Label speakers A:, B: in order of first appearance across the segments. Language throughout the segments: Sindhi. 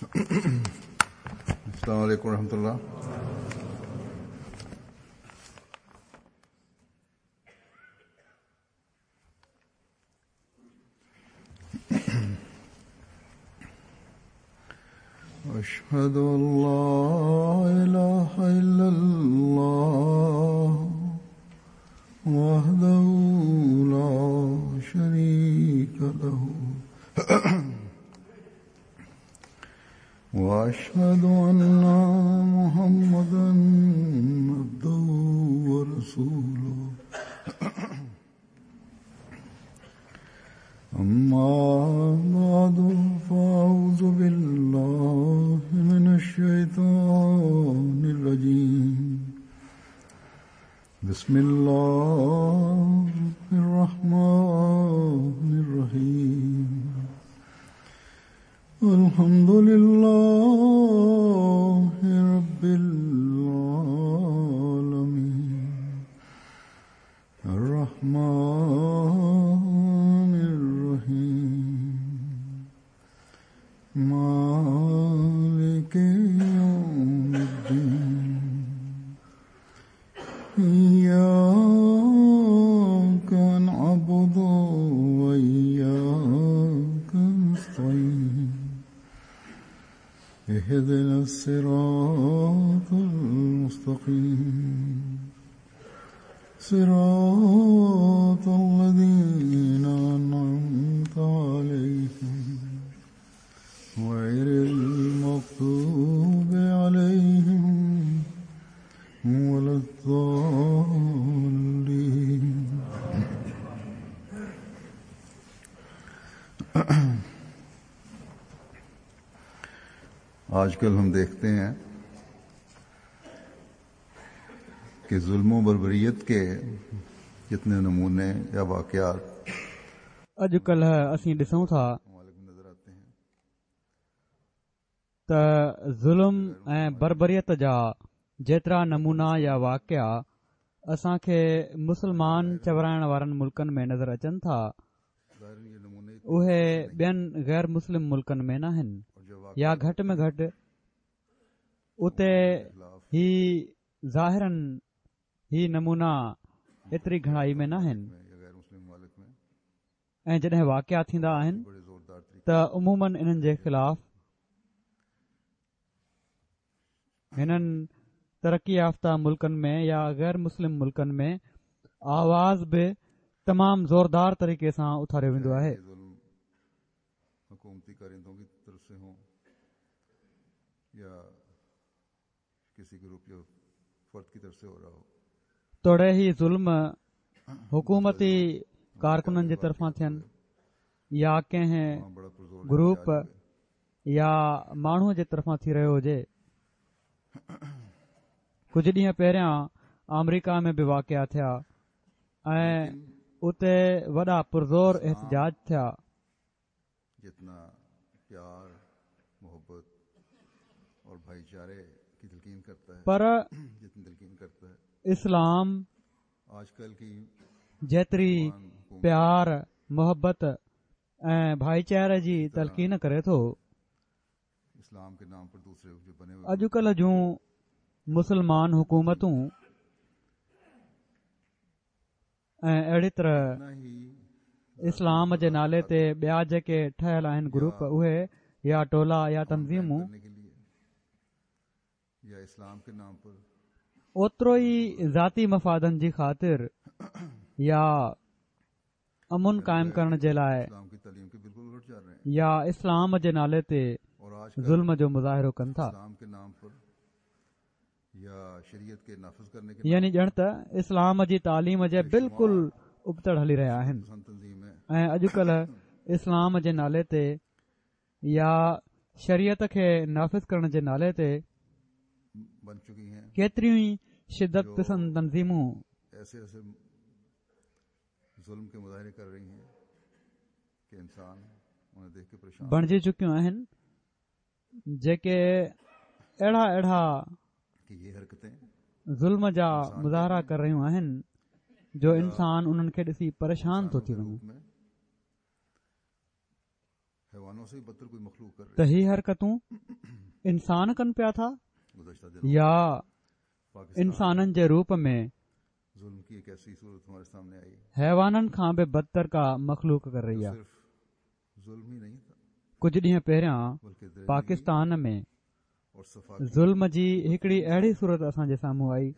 A: السلام عليڪم ورحمة الله. أشهد أن لا إله إلا الله وحده لا شريك له وأشهد أن محمدا عبده ورسوله. أما بعد، فأعوذ بالله من الشيطان الرجيم. بسم الله الرحمن الرحيم. الحمد لله رب العالمين، الرحمن الرحيم، مالك يوم الدين، إياك نعبد وإياك نستعين، اهدنا الصراط المستقيم، صراط الذين أنعمت عليهم، غير المغضوب عليهم ولا الضالين. آج کل ہم دیکھتے ہیں کہ ظلم و بربریت کے جتنے نمونے یا واقعات
B: اڄڪلهه اسين ڏسون ٿا
A: ممالک میں نظر آتے ہیں،
B: ته ظلم ۽ بربريت جا جيترا نمونا يا واقعا اسان کي مسلمان چورائڻ وارن ملڪن ۾ نظر اچن ٿا،
A: ظاهر یہ نمونے
B: اهي ٻين غير مسلم ملڪن ۾ ناهن،
A: اور جو
B: يا گهٽ ۾ گهٽ اتي هي ظاهراً هي نمونا ايتري گهڻائي ۾ ناهن.
A: یا غیر مسلم ممالک میں
B: ۽ جڏهن واقعا ٿيندا آهن
A: بڑے زوردار طریقے
B: ته عموماً انهن جي خلاف هنن ترقي يافته ملڪن ۾ يا غير مسلم ملڪن ۾ آواز به تمام زوردار طريقي سان اٿاريو ويندو آهي.
A: یہ ظلم حکومتی کارندوں کی طرف سے ہوں یا کسی گروپ یا فرد کی طرف سے ہو رہا ہو،
B: توڙي هي ظلم حڪومتي ڪارڪنن جي طرفان ٿين يا ڪنهن
A: وہاں بڑا پرزور
B: گروپ
A: احتجاج ہوئے۔
B: يا ماڻهوءَ جي طرفان ٿي رهيو هجي. ڪجهه ڏينهن پهريان آمريڪا ۾ به واقعا ٿيا ۽ اتي وڏا پرزور احتجاج ٿيا.
A: جتنا پیار، محبت اور بھائی چارے کی تلقین کرتا ہے،
B: پر
A: جتنی تلقین کرتا ہے،
B: اسلام
A: آج کل کی
B: جيتري پيار، محبت ۽ ڀائيچاري جي تلقين ڪري ٿو،
A: اسلام کے نام پر دوسرے جو بنے ہوئے
B: اڄڪلهه جون مسلمان حڪومتون ۽ اهڙي طرح
A: اتنا ہی
B: اسلام جي نالي تي ٻيا جيڪي ٺهيل آهن گروپ، اهي يا ٽولا يا تنظيمون،
A: کرنے کے لیے یا اسلام کے نام پر
B: اوترو ئي ذاتي مفادن جي خاطر يا امن قائم ڪرڻ جي لاءِ
A: اسلام کی تعلیم کے بالکل الٹ جا رہے ہیں،
B: يا اسلام جي نالي تي
A: اور آج کل
B: ظلم جو مظاهرو ڪن ٿا.
A: اسلام کے نام پر یا شریعت کے نافذ کرنے کے
B: يعني ڄڻ ته اسلام جي تعليم جي بلڪل ابتڙ هلي رهيا آهن.
A: پسند تنظیم ہے،
B: ۽ اڄڪلهه اسلام جي نالي تي يا شريعت کي نافذ ڪرڻ جي نالي تي
A: بن چکی ہیں
B: ڪيتريون ئي شدت پسند تنظيمون
A: ایسے ایسے ظلم کے مظاہرے کر رہی ہیں کہ انسان انہیں دیکھ کے پریشان
B: بڻجي چڪيون آهن، جيڪي اهڙا اهڙا
A: کہ یہ حرکتیں
B: ظلم جا مظاهرا ڪري رهيون آهن جو انسان انهن کي ڏسي پريشان ٿو ٿي وڃي.
A: میں
B: ته هي حرڪتون انسان ڪن پيا ٿا يا انسانن جي روپ ۾ حيوانن کان به بدتر ڪا مخلوق ڪري رهي آهي. ڪجهه ڏينهن پهريان پاڪستان ۾ ظلم جي هڪڙي اهڙي صورت اسان جي سامهون آئي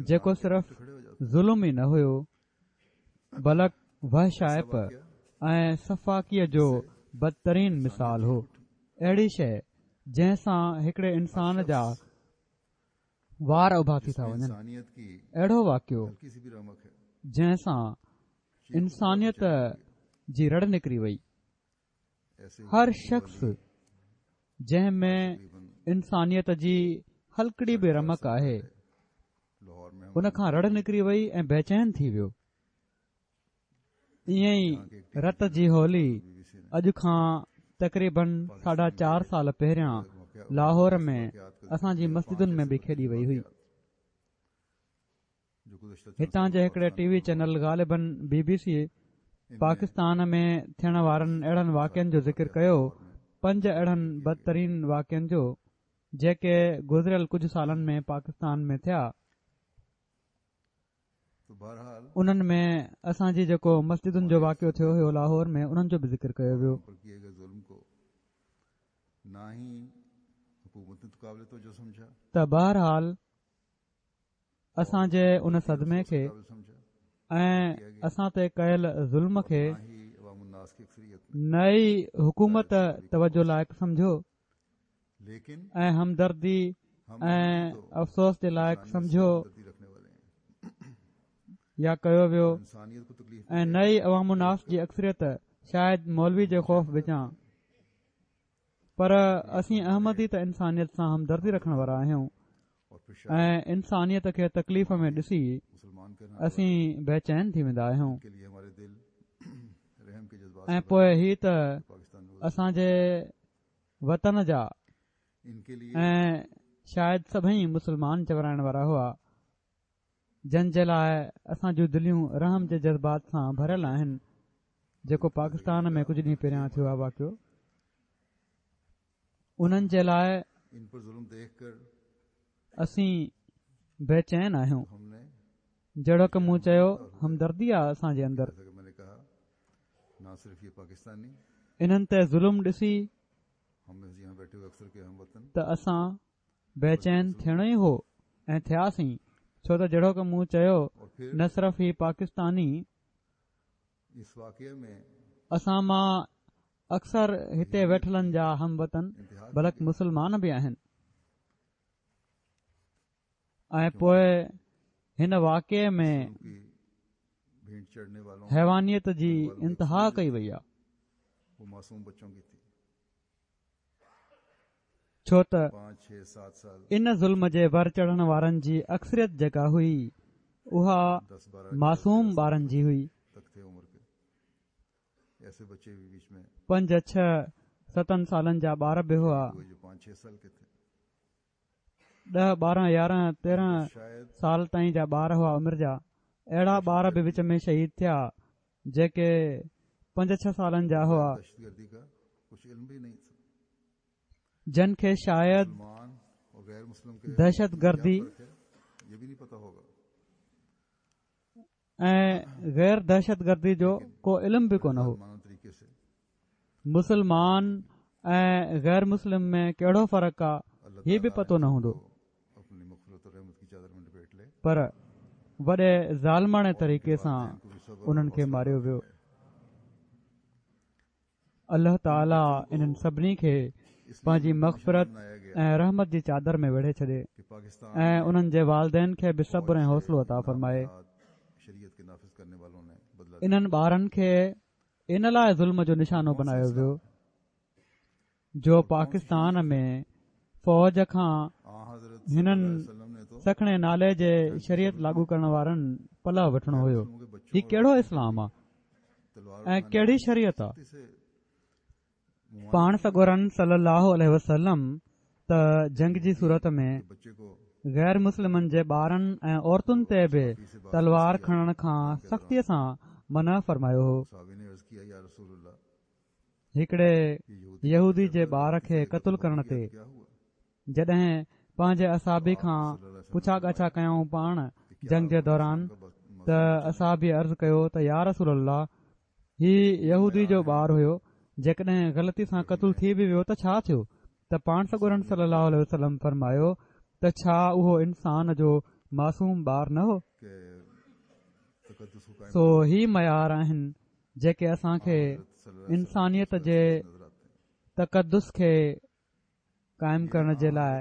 B: جيڪو صرف ظلم ئي نه هيو بلڪ وحشائپ ۽ سفاڪيء جو بدترين مثال هو. اهڙي شيء جنهن سان هڪڙي انسان جا وار اڀا ٿي ٿا وڃن. اهڙو واقعو جنهن سان انسانيت جي رڙ نڪري وئي. هر شخص جنهن ۾ انسانيت جي هلڪڙي به رمق آهي ان کان رڙ نڪري وئي ۽ بيچين ٿي ويو. ائين ئي رت جي هولي اڄ کان تقريبن ساڍا چار سال پهريان لاهور ۾ اسان جي مسجدن ۾ به کيڏي وئي هئي. هتان جي هڪڙي ٽي وي چينل غالبن بي بي سي پاڪستان ۾ ٿيڻ وارن اهڙن واقعن جو ذڪر ڪيو پنج اهڙن بدترين واقعن جو جيڪي گذريل ڪجهه سالن ۾ پاڪستان ۾ ٿيا انهن ۾ اسان جي جيڪو مسجدن جو واقعو ٿيو هيو لاهور ۾ انهن جو به ذڪر ڪيو ويو. ته بهرحال اسان جي ان صدمي کي ۽ اسان تي ڪيل ظلم کي نه ئي حڪومت توجه لائق سمجهيو ۽ همدردي ۽ افسوس جي لائق سمجهيو يا ڪيو ويو ۽ نه ئي عوام الناس جي اڪثريت شايد مولوي جي خوف وچان پر اسين احمدي ته انسانيت سان همدردي رکڻ وارا آهيون ۽ انسانيت کي تڪليف ۾ ڏسي اسين بيچين ٿي ويندا آهيون ۽ پوء هي ته اسان جي وطن جا ۽ شايد سڀئي مسلمان چورائڻ وارا هئا جن جي لاء اسان جون دليون رحم جي جذبات سان ڀريل آهن جيڪو پاڪستان ۾ ڪجهه ڏينهن پهريان ٿيو آهي واقعو انهن جي لاء اسين بيچين آهيون جهڙوڪ مون چيو همدردي آهي اسان جي اندر انهن تي ظلم ڏسي ته اسان بيچين ٿيڻو ئي هو ۽ ٿياسين ڇو ته جهڙوڪ مون چيو نه صرف هي پاڪستاني اسان مان اڪثر هتي ويٺلن جا هم وطن بلڪ مسلمان به آهن ۽ پوء هن واقعي ۾ حيوانيت جي انتها ڪئي وئي آهي. ڇو ته ان ظلم جي ور چڙهڻ وارن جي اڪثريت جيڪا هئي اها معصوم ٻارن جي هئي. پنج ڇهه ستن سالن جا ٻار به هئا. ڏهه ٻارهن يارهن تيرهن سال تائين جا ٻار هئا عمر جا اهڙا ٻار به وچ ۾ شهيد ٿيا جيڪي پنج ڇهه سالن جا هئا جن کي شايد دهشت گردي ۽ غير دهشت گردي جو ڪو علم به ڪونه هو. مسلمان ۽ غير مسلم ۾ ڪهڙو فرق آ هي به پتو نه هوندو. پر وڏي ظالماڻي طريقي سان انهن کي ماريو ويو. الله تعالي انهن سڀني کي پنهنجي مغفرت ۽ رحمت جي چادر ۾ ويڙهي ڇڏي ۽ انهن جي والدين کي به صبر ۽ حوصلو عطا فرمائي. انهن ٻارن کي ان لاء ظلم جو نشانو بنايو ويو جو پاڪستان ۾ فوج کان هنن سکڻي نالي جي شريعت لاڳو ڪرڻ وارن پلئه وٺڻو هيو. هي ڪهڙو اسلام آ؟ ۽ ڪهڙي شريعت آ؟ پاڻ سڳورن صلي الله عليه وسلم ته جنگ جي صورت ۾ غير مسلمن جي ٻارن ۽ عورتن تي به تلوار کڻڻ کان سختيء سان منع فرمايو هو. هڪڙي يهودي جي ٻار کي قتل ڪرڻ تي جڏهن پنهنجي اصحابي کان پڇا ڳاڇا ڪيائون پاڻ جنگ جي دوران ته اصحابي عرض ڪيو ته يا رسول الله هي يهودي جو ٻار هيو جيڪڏهن غلطي سان قتل ٿي به ويو ته ڇا ٿيو ته پاڻ سڳورن صلي الله عليه وسلم فرمايو ته ڇا اهو انسان جو معصوم ٻار نه هو سو هي معيار آهن جيڪي اسان کي انسانيت جي تقدس کي قائم ڪرڻ جي لاء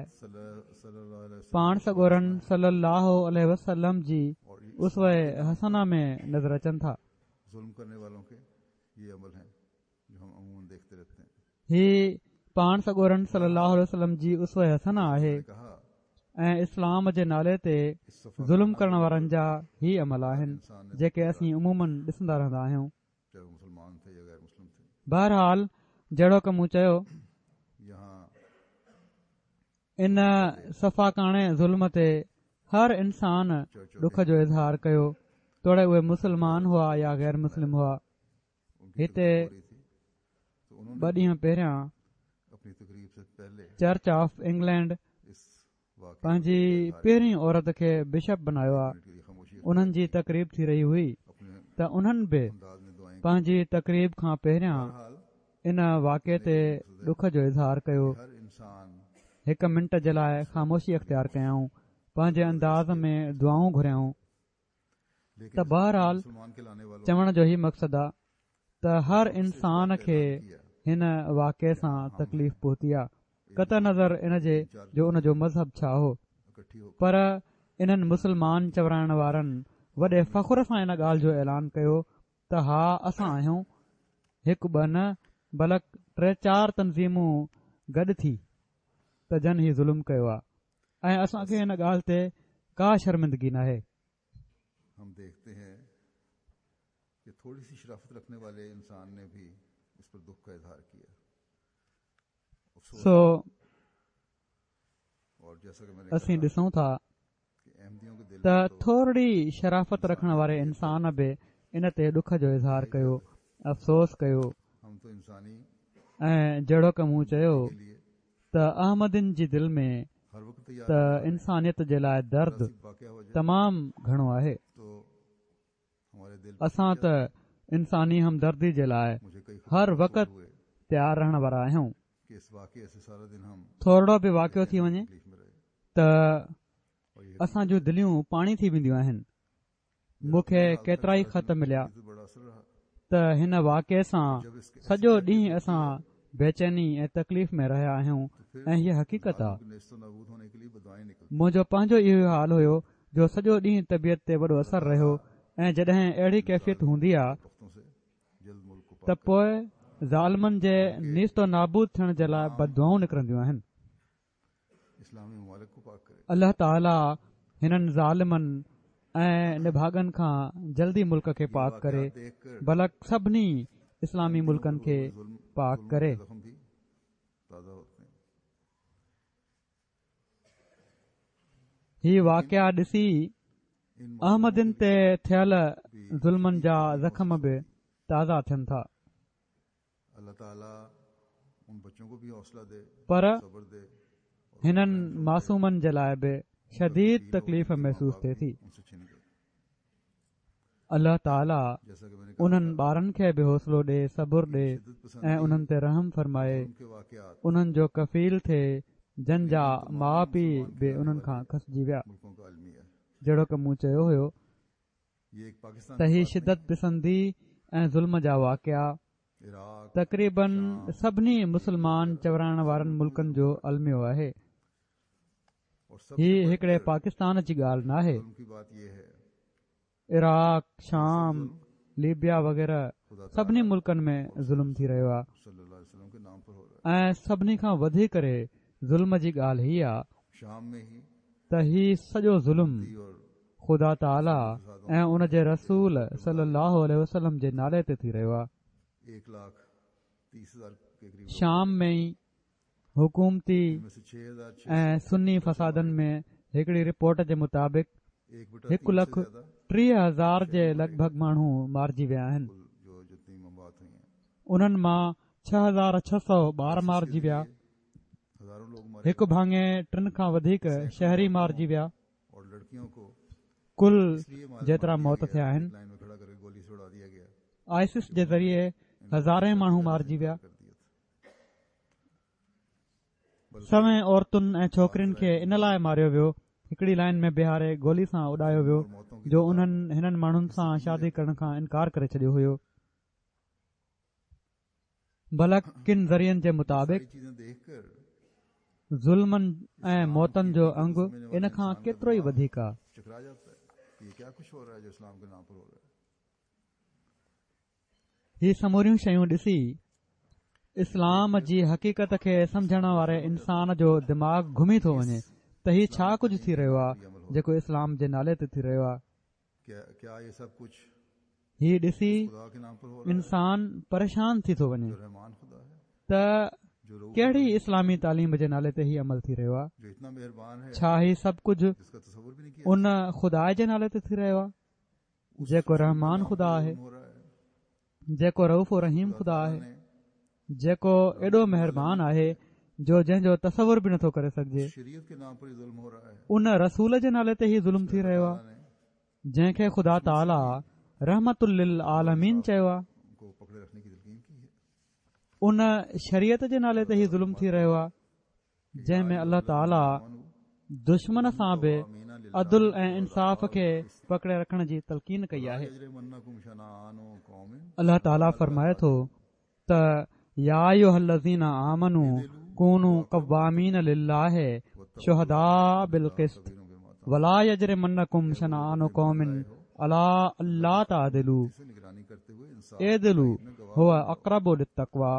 B: پاڻ سڳورن صلي الله عليه وسلم جي اسوه حسنه ۾ نظر اچن ٿا. هي پاڻ سڳورن صلي الله عليه وسلم جي اسوه حسنه آهي ۽ اسلام جي نالي تي ظلم ڪرڻ وارن جا هي عمل آهن جيڪي اسين عموماً ڏسندا رهندا آهيون. بهرحال جهڙوڪ مون چيو ان سفاڪاڻي ظلم تي هر انسان ڏک جو اظهار ڪيو توڙي اهي مسلمان هئا يا غير مسلم هئا. هتي ٻه ڏينهن پهريان چرچ آف انگلينڊ پنهنجي پهرين عورت کي بشپ بنايو آ انهن جي تقريب ٿي رهي هئي ته انهن به پنهنجي تقريب کان پهريان ان واقعي تي ڏک جو اظهار ڪيو هڪ منٽ جي لاء خاموشي اختيار ڪيائون پنهنجي انداز ۾ دعائون گهريائون ته بهرحال چوڻ جو هي مقصد آ ته هر انسان کي هن واقعي سان تڪليف پهتي آ قطع نظر ان جي جو ان جو مذهب ڇا هو پر انهن مسلمان چورائڻ وارن وڏي فخر سان ان ڳالهه جو اعلان ڪيو ته ها اسان آهيون هڪ ٻه نه بلڪ ٽي چار تنظيمون گڏ ٿي ته جن هي ظلم ڪيو آ ۽ اسان کي ان ڳالهه تي ڪا شرمندگي ناهي.
A: هم ديکهتي هين ڪه ٿوڙي سي شرافت رکني والي انسان ني ڀي اس پر دک ڪا اظهار ڪيا. افسوس
B: سو
A: اور جيسا ڪه مين ني
B: اسين
A: ڪها
B: ڏسون ٿا
A: ڪه احمديون ڪي دل
B: ته
A: مين تو
B: ٿورڙي شرافت رکڻ
A: انسانيت
B: واري
A: ڪي لئي
B: انسان
A: درد
B: به ان تي ڏک جو اظهار
A: رهي
B: ڪيو،
A: جاتا هي.
B: افسوس ڪيو
A: هم تو انساني
B: ۽ جهڙوڪ مون چيو
A: همدردي ڪي لئي
B: ته احمدين جي دل ۾ ته انسانيت جي لاء درد تمام گهڻو آهي. اسان ته انساني همدردي جي لاء هر وقت تيار رهڻ وارا آهيون. ٿورڙو به واقعو ٿي وڃي ته اسان جون دليون پاڻي ٿي وينديون آهن. مون کي ڪيترائي خط مليا ته هن واقعي سان سڄو ڏينهن اسان بيچيني ۽ تڪليف ۾ رهيا آهيون ۽ هيء حقيقت آ. منهنجو پنهنجو اهو حال هيو جو سڄو ڏينهن طبيعت تي وڏو اثر رهيو ۽ جڏهن اهڙي ڪيفيت هوندي آ ته پوء ظالمن جي نيست و نابود ٿيڻ جي لاء بددعائون نڪرنديون آهن. الله تعالي هنن ظالمن ۽ نڀاڳن کان جلدي ملڪ کي پاڪ ڪري بلڪ سڀني اسلامي ملڪن کي پاڪ ڪري. هي واقعا ڏسي احمدين تي ٿيل ظلمن جا زخم به تازا ٿين ٿا. پر هنن معصومن جي لاء به شديد تڪليف محسوس ٿئي ٿي. الله تعالي انهن ٻارن کي به حوصلو ڏي، صبر ڏي ۽ انهن تي رحم فرمائي، انهن جو ڪفيل ٿئي جن جا ماء پيء به انهن کان کسجي ويا. جهڙوڪ مون چيو هيو ته هي شدت پسندي ۽ ظلم جا واقعا تقريبن سڀني مسلمان چورائڻ وارن ملڪن جو الميو آهي. هي هڪڙي پاڪستان جي ڳالهه ناهي. عراق، شام، ليبيا وغيره سڀني ملڪن ۾ ظلم ٿي رهيو آهي ۽ سڀني کان وڌي ڪري ظلم جي ڳالهه هي آ ته هي سڄو ظلم خدا تعاليٰ ۽ ان جي رسول صلي الله عليه وسلم جي نالي تي ٿي رهيو آهي. شام ۾ ئي حڪومتي ۽ سني فسادن ۾ هڪڙي رپورٽ جي مطابق هڪ لک 30,000 جي لڳ ڀڳ ماڻهو مارجي ويا آهن. انهن مان 6600 ٻار مارجي ويا. هڪ ڀاڱي ٽن کان وڌيڪ شهري مارجي ويا. ڪل جيترا موت ٿيا آهن. آئسس جي ذريعي هزارين ماڻهو مارجي ويا. سوين عورتن ۽ ڇوڪرين کي ان لاء ماريو ويو، هڪڙي لائين ۾ بيهاري گولي سان اڏايو ويو جو انهن هنن ماڻهن سان شادي ڪرڻ کان انڪار ڪري ڇڏيو هيو. بلڪ ڪن ذريعن جي مطابق ظلمن ۽ موتن جو انگ ان کان ڪيترو ئي وڌيڪ آ. هي سموريون شيون ڏسي اسلام جي حقيقت کي سمجهڻ واري انسان جو دماغ گهمي ٿو وڃي ته هي ڇا ڪجهه ٿي رهيو آهي جيڪو اسلام جي نالي تي ٿي رهيو آهي. هي ڏسي انسان پريشان ٿي ٿو وڃي ته ڪهڙي اسلامي تعليم جي نالي تي هي عمل ٿي رهيو آهي؟ ڇا هي سڀ ڪجهه ان خدا جي نالي تي ٿي رهيو آهي؟ جيڪو رحمان خدا آهي، جيڪو رئوف و رحيم خدا آهي، جيڪو ايڏو مهربان آهي جو جنهن جو تصور به نٿو ڪري سگهجي. ان رسول جي نالي تي هي ظلم ٿي رهيو آهي، جنهن کي خدا تعاليٰ رحمت للعالمين چيو آهي. ان شريعت جي نالي تي هي ظلم ٿي رهيو آهي. جنهن ۾ الله تعاليٰ دشمن سان به عدل ۽ انصاف کي پڪڙي رکڻ جي تلقين ڪئي آهي. الله تعاليٰ فرمائي ٿو ته يا ايها الذين آمنوا ڪونوا قوامين لله شهداء بالقسط ولا يجرمنڪم شنآن قوم علي الا تعدلوا اعدلوا هو اقرب للتقويٰ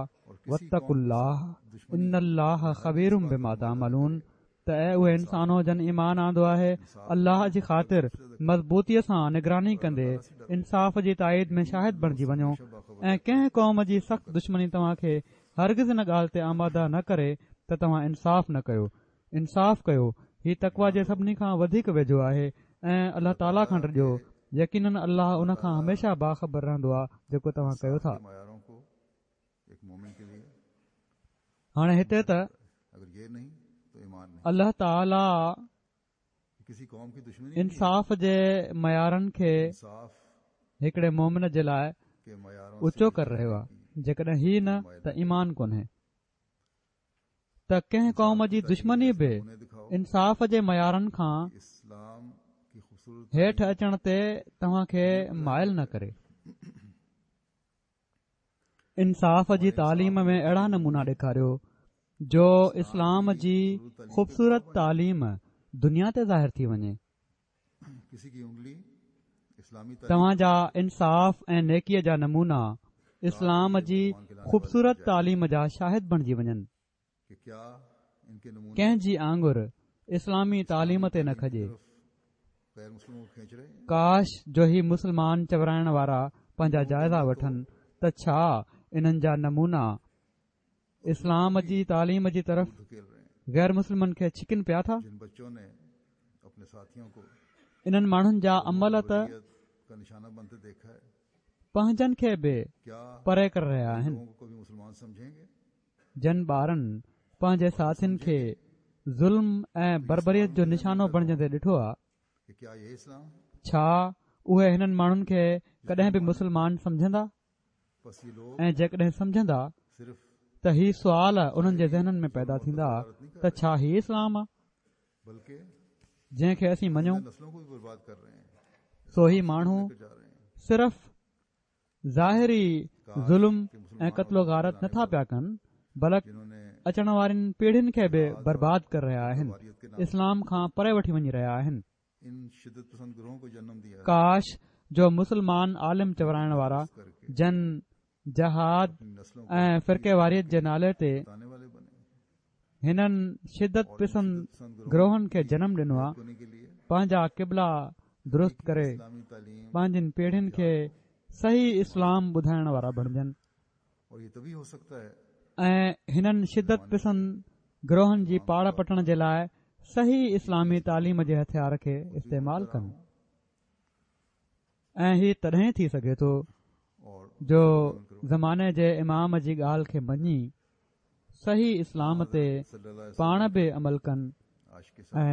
B: واتقوا الله ان الله خبير بما تعملون ته اي اهي انسانو جن ايمان آندو آهي الله جي خاطر مضبوطيء سان نگراني ڪندي انصاف جي تائيد ۾ شاهد بڻجي وڃو ۽ ڪنهن قوم جي سخت دشمني توهان کي هرگز ان ڳالهه تي آماده نه ڪري ته توهان انصاف نه ڪيو انصاف ڪيو هي تقويٰ جي سڀني کان وڌيڪ ويجهو آهي ۽ الله تعاليٰ کان ڊڄو يقيناً الله ان کان هميشه باخبر رهندو آهي جيڪو توهان ڪيو ٿا. هاڻي هتي ته الله تعاليٰ انصاف جي معيارن کي هڪڙي مومن جي لاء اوچو ڪري رهيو آهي جيڪڏهن هي نه ته ايمان ڪونهي ته ڪنهن قوم جي دشمني به انصاف جي معيارن کان هيٺ اچڻ تي توهان کي مائل نه ڪري. انصاف جي تعليم ۾ اهڙا نمونا ڏيکاريو جو اسلام جي خوبصورت تعليم دنيا تي ظاهر ٿي وڃي. توهان جا انصاف ۽ نيڪيء جا نمونا اسلام جي خوبصورت تعليم جا شاهد بڻجي وڃن. ڪنهن جي آڱر اسلامي تعليم تي نه کڄي. ڪاش جو هي مسلمان چورائڻ وارا پنهنجا جائزا وٺن ته ڇا انهن جا نمونا اسلام جي تعليم جي طرف غير مسلمن کي ڇڪن پيا ٿا؟ انهن ماڻهن جا عمل ته پنهنجن کي به پري ڪري رهيا آهن. جن ٻارن پنهنجي ساٿين کي ظلم ۽ بربريت جو نشانو بڻجندي ڏٺو آ، ڇا اهي هنن ماڻهن کي ڪڏهن به مسلمان سمجهندا؟ ۽ جيڪڏهن سمجهندا ته هي سوال انهن جي ذهنن ۾ پيدا ٿيندا ته ڇا هي اسلام آ جنهن کي اسين مڃون؟ سو هي ماڻهو صرف ظاهري ظلم ۽ قتل و غارت نٿا پيا ڪن بلڪ اچڻ وارين پيڙهين کي به برباد ڪري رهيا آهن اسلام کان پري وٺي وڃي رهيا آهن ڪاش جو مسلمان عالم چورائڻ وارا جن جهاد ۽ فرقي واريت جي نالي تي هنن شدت پسند گروهن کي جنم ڏنو آ، پنهنجا قبلا درست ڪري پنهنجين پيڙهين کي صحيح اسلام ٻڌائڻ وارا بڻجن ۽ هنن شدت پسند گروهن جي پاڙ پٽڻ جي لاء صحيح اسلامي تعليم جي هٿيار کي استعمال ڪن ۽ هي تڏهن ٿي سگهي ٿو جو زماني جي امام جي ڳالهه کي مڃي صحيح اسلام تي پاڻ به عمل ڪن ۽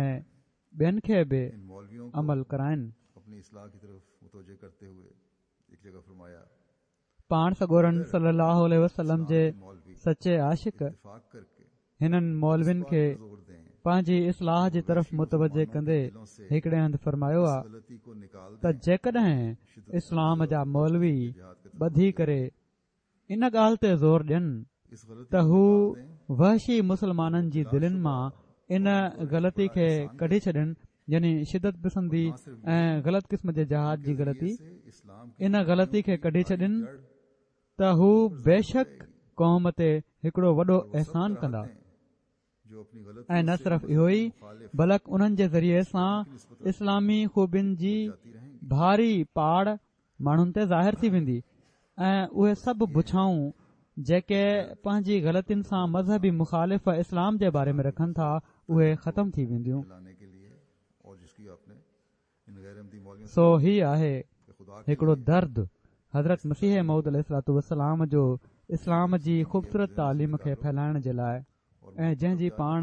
B: ٻين کي به عمل ڪرائن. پاڻ سڳورن صلي الله عليه وسلم جي سچي عاشق هنن مولوين کي پنهنجي اصلاح جي طرف متوجه ڪندي هڪڙي هنڌ فرمايو آ ته جيڪڏهن اسلام جا مولوي ٻڌي ڪري ان ڳالهه تي زور ڏين ته هو وحشي مسلمانن جي دلين مان ان غلطي کي ڪڍي ڇڏين يعني شدت پسندي ۽ غلط قسم جي جهاد جي غلطي ان غلطي کي ڪڍي ڇڏين ته هو بيشڪ قوم تي هڪڙو وڏو احسان ڪندا. ۽ نه صرف اهو ئي بلڪ انهن جي ذريعي سان اسلامي خوبين جي ڀاري پاڙ ماڻهن تي ظاهر ٿي ويندي ۽ اهي سڀ بڇائون جيڪي پنهنجي غلطين سان مذهبي مخالف اسلام جي باري ۾ رکن ٿا اهي ختم ٿي وينديون. سو هي آهي هڪڙو درد حضرت مسيح موعود عليه الصلوة والسلام جو اسلام جي خوبصورت تعليم کي ڦهلائڻ جي لاء ۽ جنهن جي پاڻ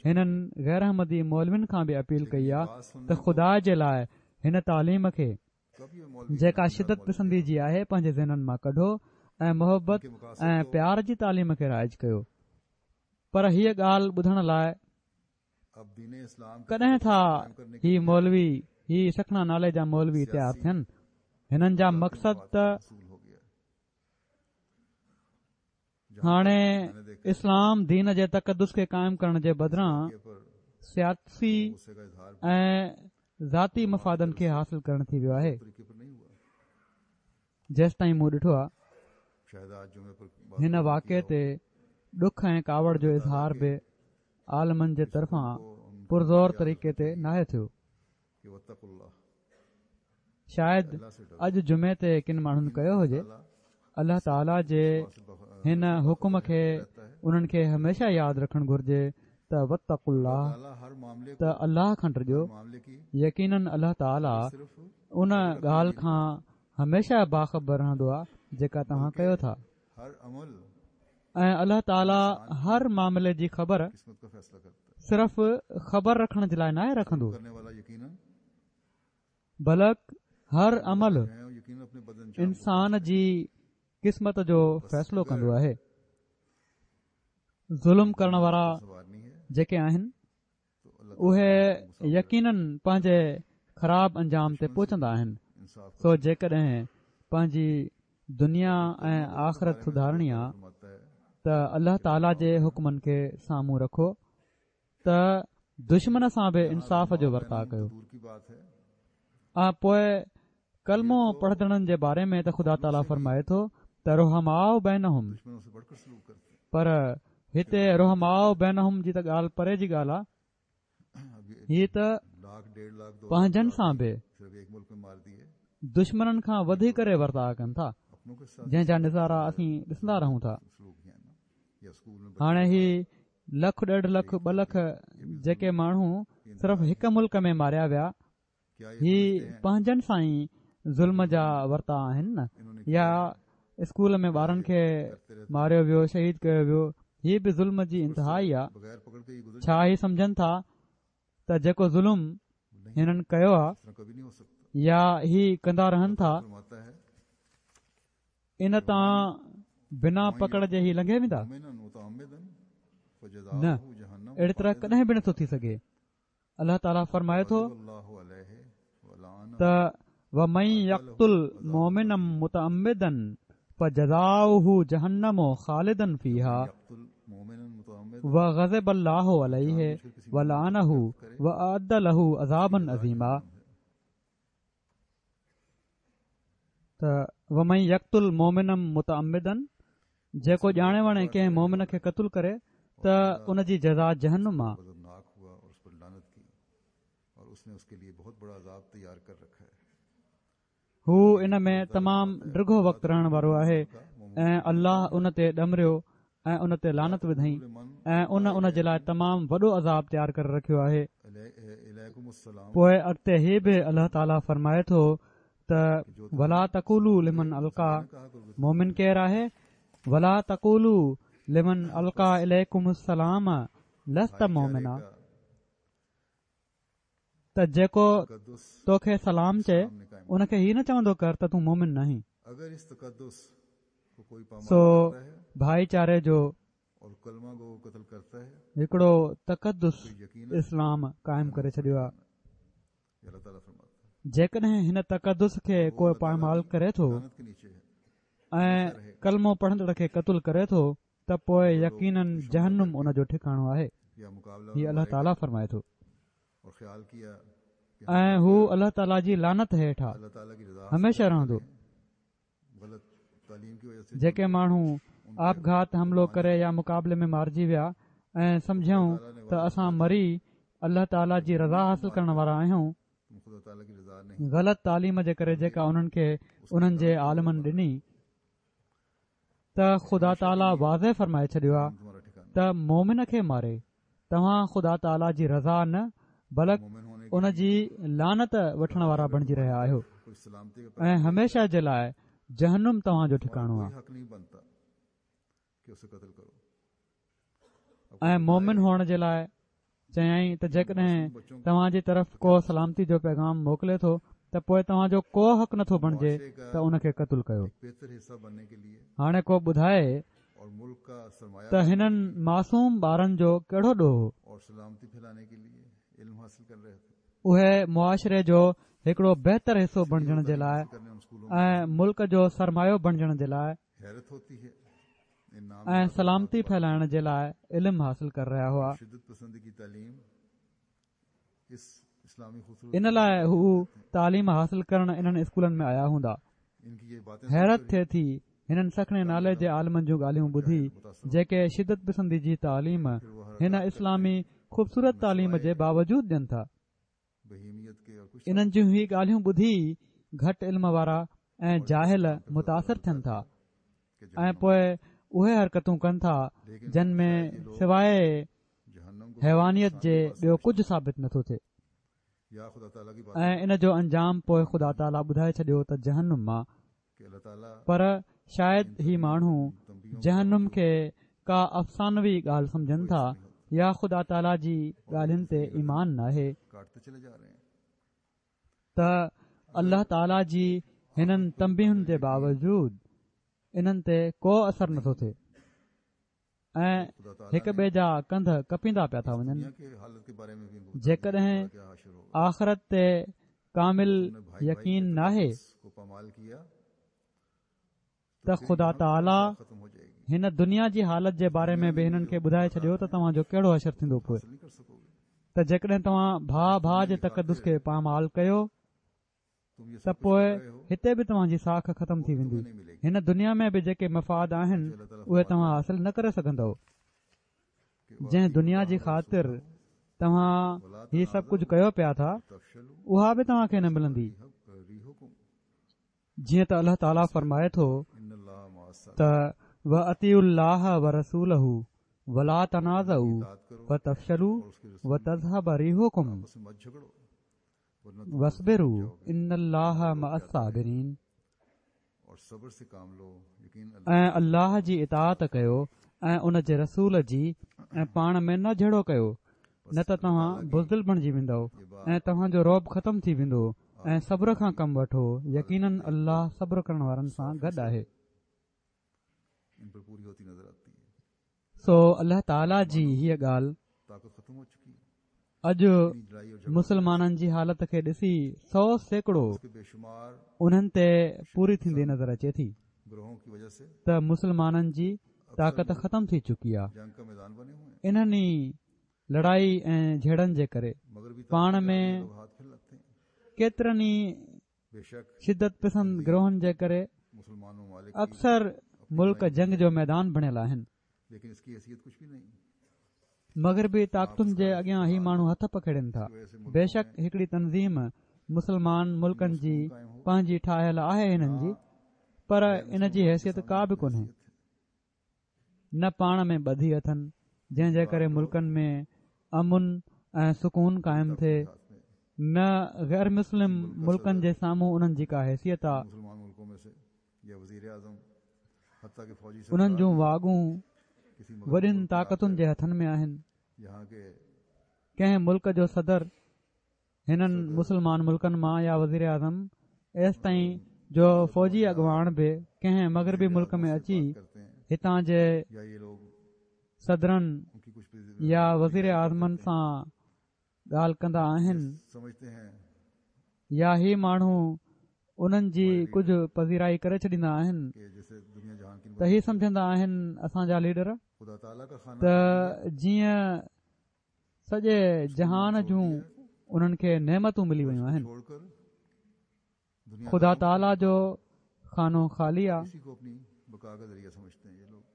B: هنن غير احمدي مولوين کان به اپيل ڪئي آ ته خدا جي لاء هن تعليم کي جيڪا شدت پسندي جي آهي پنهنجي ذهنن مان ڪڍو ۽ محبت ۽ پيار جي تعليم کي رائج ڪيو پر هيء ڳالهه ٻڌڻ لاء ڪڏهن ٿا هي مولوي هي سکڻا نالي جا مولوي تيار ٿين هنن جا مقصد ته هاڻي اسلام دين جي تقدس کي قائم ڪرڻ جي بدران سياسي ۽ ذاتي مفادن کي حاصل ڪرڻ ٿي ويو آهي جيستائين مون ڏٺو آهي هن واقعي تي ڏک ۽ ڪاوڙ جو اظهار به عالمن جي طرفان پرزور طريقي تي ناهي ٿيو. شايد اڄ جمعي تي ڪن ماڻهن ڪيو هجي. الله تعاليٰ جي هن حڪم کي انهن کي هميشه ياد رکڻ گهرجي ته واتقوا الله ته الله کان ڊڄو يقيناً الله تعاليٰ ان ڳالهه کان هميشه باخبر رهندو آهي جيڪا توهان ڪيو ٿا. ۽ الله تعاليٰ هر معاملي جي خبر صرف خبر رکڻ جي لاء ناهي رکندو بلڪ هر عمل انسان جي قسمت جو فيصلو ڪندو آهي ظلم ڪرڻ وارا جيڪي آهن اهي يقيناً پنهنجي خراب انجام تي پهچندا آهن، سو جيڪڏهن پنهنجي دنيا ۽ آخرت سڌارڻي آ ته الله تعاليٰ جي حڪمن کي سامهون رکو ته دشمن سان به انصاف جو ورتاء ڪيو ۽ پوء ڪلمو پڙهندڙن جي باري ۾ ته خدا تعاليٰ فرمائي ٿو ته رحماء بينهم پر هتي رحماء بينهم جي ته ڳالهه پري جي ڳالهه آهي هي ته پنهنجن سان به دشمنن کان وڌي ڪري ورتاء ڪن ٿا جنهن جا نظارا اسين ڏسندا رهون ٿا هاڻي هي لک ڏيڍ لک ٻه لک جيڪي ماڻهو صرف هڪ ملڪ ۾ ماريا ويا هي پنهنجن سان ئي ظلم جا ورتاء آهن نه يا اسڪول ۾ ٻارن کي ماريو ويو شهيد ڪيو ويو هي به ظلم جي انتها ئي آ ڇا هي سمجهن ٿا ته جيڪو ظلم هنن ڪيو آ يا هي ڪندا رهن ٿا ان تان بنا پڪڙ جي هي لنگهي ويندا نه اهڙي طرح ڪڏهن به نٿو ٿي سگهي الله تعاليٰ فرمائي ٿو ته ومن يقتل مؤمنا متعمدا فجزاؤه جهنم خالدا فيها وغضب الله عليه ولعنه واعد له عذابا عظيما ته ومن يقتل مؤمنا متعمدا جيڪو ڄاڻي واڻي ڪنهن مؤمن کي قتل ڪري ته ان جي جزا جهنم آ. هو ان ۾ تمام ڊگهو وقت رهڻ وارو آهي ۽ الله ان تي ڏمريو ۽ ان تي لعنت وڌائين ۽ ان ان جي لاء تمام وڏو عذاب تيار ڪري رکيو آهي. پوء اڳتي هي به الله تعالي فرمائي ٿو ته ولا تقولوا لمن القيٰ مؤمن ڪير آهي ولا تقولوا لمن القيٰ اليڪم السلام لست مؤمنا ته جيڪو توکي سلام چئي ان کي هي نه چوندو ڪر ته تون مؤمن ناهين. سو ڀائيچاري جو هڪڙو تقدس اسلام قائم ڪري ڇڏيو آهي. جيڪڏهن هن تقدس کي ڪو پائمال ڪري ٿو ۽ ڪلمو پڙهندڙ کي قتل ڪري ٿو ته پوء يقيناً جهنم ان جو ٺڪاڻو آهي. هي الله تعاليٰ فرمائي ٿو. ۽ هو الله تعاليٰ جي لعنت هيٺ آ، هميشه رهندو. جيڪي ماڻهو آپگهات حملو ڪري يا مقابلي ۾ مارجي ويا ۽ سمجهيائون ته اسان مري الله تعاليٰ جي رضا حاصل ڪرڻ وارا آهيون، غلط تعليم جي ڪري جيڪا انهن کي انهن جي عالمن ڏني، ته خدا تعاليٰ واضح فرمائي ڇڏيو آهي ته مومن کي ماري توهان خدا تعاليٰ جي رضا نه بلڪ ان جي لعنت وٺڻ وارا بڻجي رهيا آهيو ۽ هميشه جي لاء جهنم توهان جو ٺڪاڻو آهي. ۽ مومن هئڻ جي لاء چيائين ته جيڪڏهن توهان جي طرف ڪو سلامتي جو پيغام موڪلي ٿو ته پوء توهان جو ڪو حق نٿو بڻجي ته ان کي قتل ڪيو. هاڻي ڪو ٻڌائي ته هنن معصوم ٻارن جو ڪهڙو ڏوهه هو؟ اهي معاشري جو هڪڙو بهتر حصو بڻجڻ جي لاء ۽ ملڪ جو سرمايو بڻجڻ جي لاء ۽ سلامتي ڦهلائڻ جي لاء علم حاصل ڪري رهيا هئا. ان لاء هو تعليم حاصل ڪرڻ انهن اسڪولن ۾ آيا هوندا. حيرت ٿئي ٿي هنن سکڻي نالي جي عالمن جون ڳالهيون ٻڌي جيڪي شدت پسندي جي تعليم هن اسلامي خوبصورت تعليم جي باوجود ڏين ٿا. انهن جون هي ڳالهيون ٻڌي گهٽ علم وارا ۽ جاهل متاثر ٿين ٿا ۽ پوء اهي حرڪتون ڪن ٿا جن ۾ سواء حيوانيت جي ٻيو ڪجهه ثابت نٿو ٿئي ۽ ان جو انجام پوء خدا تعاليٰ ٻڌائي ڇڏيو ته جهنم آ پر شايد هي ماڻهو جهنم کي ڪا افسانوي ڳالهه سمجهن ٿا يا خدا تعاليٰ جي ڳالهين تي ايمان ناهي ته الله تعاليٰ جي هنن تنبيهن جي باوجود انهن تي ڪو اثر نٿو ٿئي. ۽ هڪ ٻئي جا ڪنڌ ڪپيندا پيا ٿا وڃن جيڪڏهن آخرت تي ڪامل يقين ناهي ته خدا تعاليٰ هن دنيا جي حالت جي باري ۾ به هنن کي ٻڌائي ڇڏيو ته توهان جو ڪهڙو حشر ٿيندو پوء ته جيڪڏهن توهان ڀاء ڀاء جي تقدس کي پامال ڪيو ته پوء هتي به توهان جي ساک ختم ٿي ويندي. هن دنيا ۾ به جيڪي مفاد آهن اهي توهان حاصل نه ڪري سگهندؤ. جنهن دنيا جي خاطر توهان هي سڀ ڪجهه ڪيو پيا ٿا اها به توهان کي نه ملندي. جيئن ته الله تعاليٰ فرمائي ٿو ته واطيعوا الله ورسوله ولا تنازعوا فتفشلوا وتذهب ريحڪم واصبروا ان الله مع الصابرين ۽ الله جي اطاعت ڪيو ۽ ان جي رسول جي ۽ پاڻ ۾ نه جهيڙو ڪيو نه ته توهان بزدل بڻجي ويندؤ ۽ توهان جو رعب ختم ٿي ويندو ۽ صبر کان ڪم وٺو يقيناً الله صبر ڪرڻ وارن سان گڏ آهي. سو الله تعاليٰ جي هيء ڳالهه اڄ مسلمانن جي حالت کي ڏسي 100% انهن تي پوري ٿيندي نظر اچي ٿي ته مسلمانن جي طاقت ختم ٿي چڪي آهي انهن ئي لڙائي ۽ جهيڙن جي ڪري پاڻ ۾ ڪيترن ئي شدت پسند گروهن جي ڪري اڪثر ملڪ جنگ جو ميدان بڻيل آهن. مغربي طاقتن جي اڳيان هي ماڻهو هٿ پکيڙين ٿا. بيشڪ هڪڙي تنظيم مسلمان ملڪن جي پنهنجي ٺاهيل آهي هنن جي پر ان جي حيثيت ڪا به ڪونهي. نه پاڻ ۾ ٻڌي اٿن جنهن جي ڪري ملڪن ۾ امن ۽ سڪون قائم ٿئي. نه غير مسلم ملڪن جي سامهون انهن جي ڪا حيثيت آ. انهن جون واڳون وڏين طاقتن جي هٿن ۾ آهن. ڪنهن ملڪ جو صدر هنن مسلمان ملڪن مان يا وزيراعظم ايستائين جو فوجي اڳواڻ به ڪنهن مغربي ملڪ ۾ اچي هتان جي صدرن يا وزيراعظمن سان ڳالهه ڪندا آهن يا هي ماڻهو انهن جي ڪجهه پذيرائي ڪري ڇڏيندا آهن ته هي سمجهندا آهن اسان جا ليڊر ته جيئن سڄي جهان جون انهن کي نعمتون ملي ويون آهن خدا تعاليٰ جو خانو خالي آ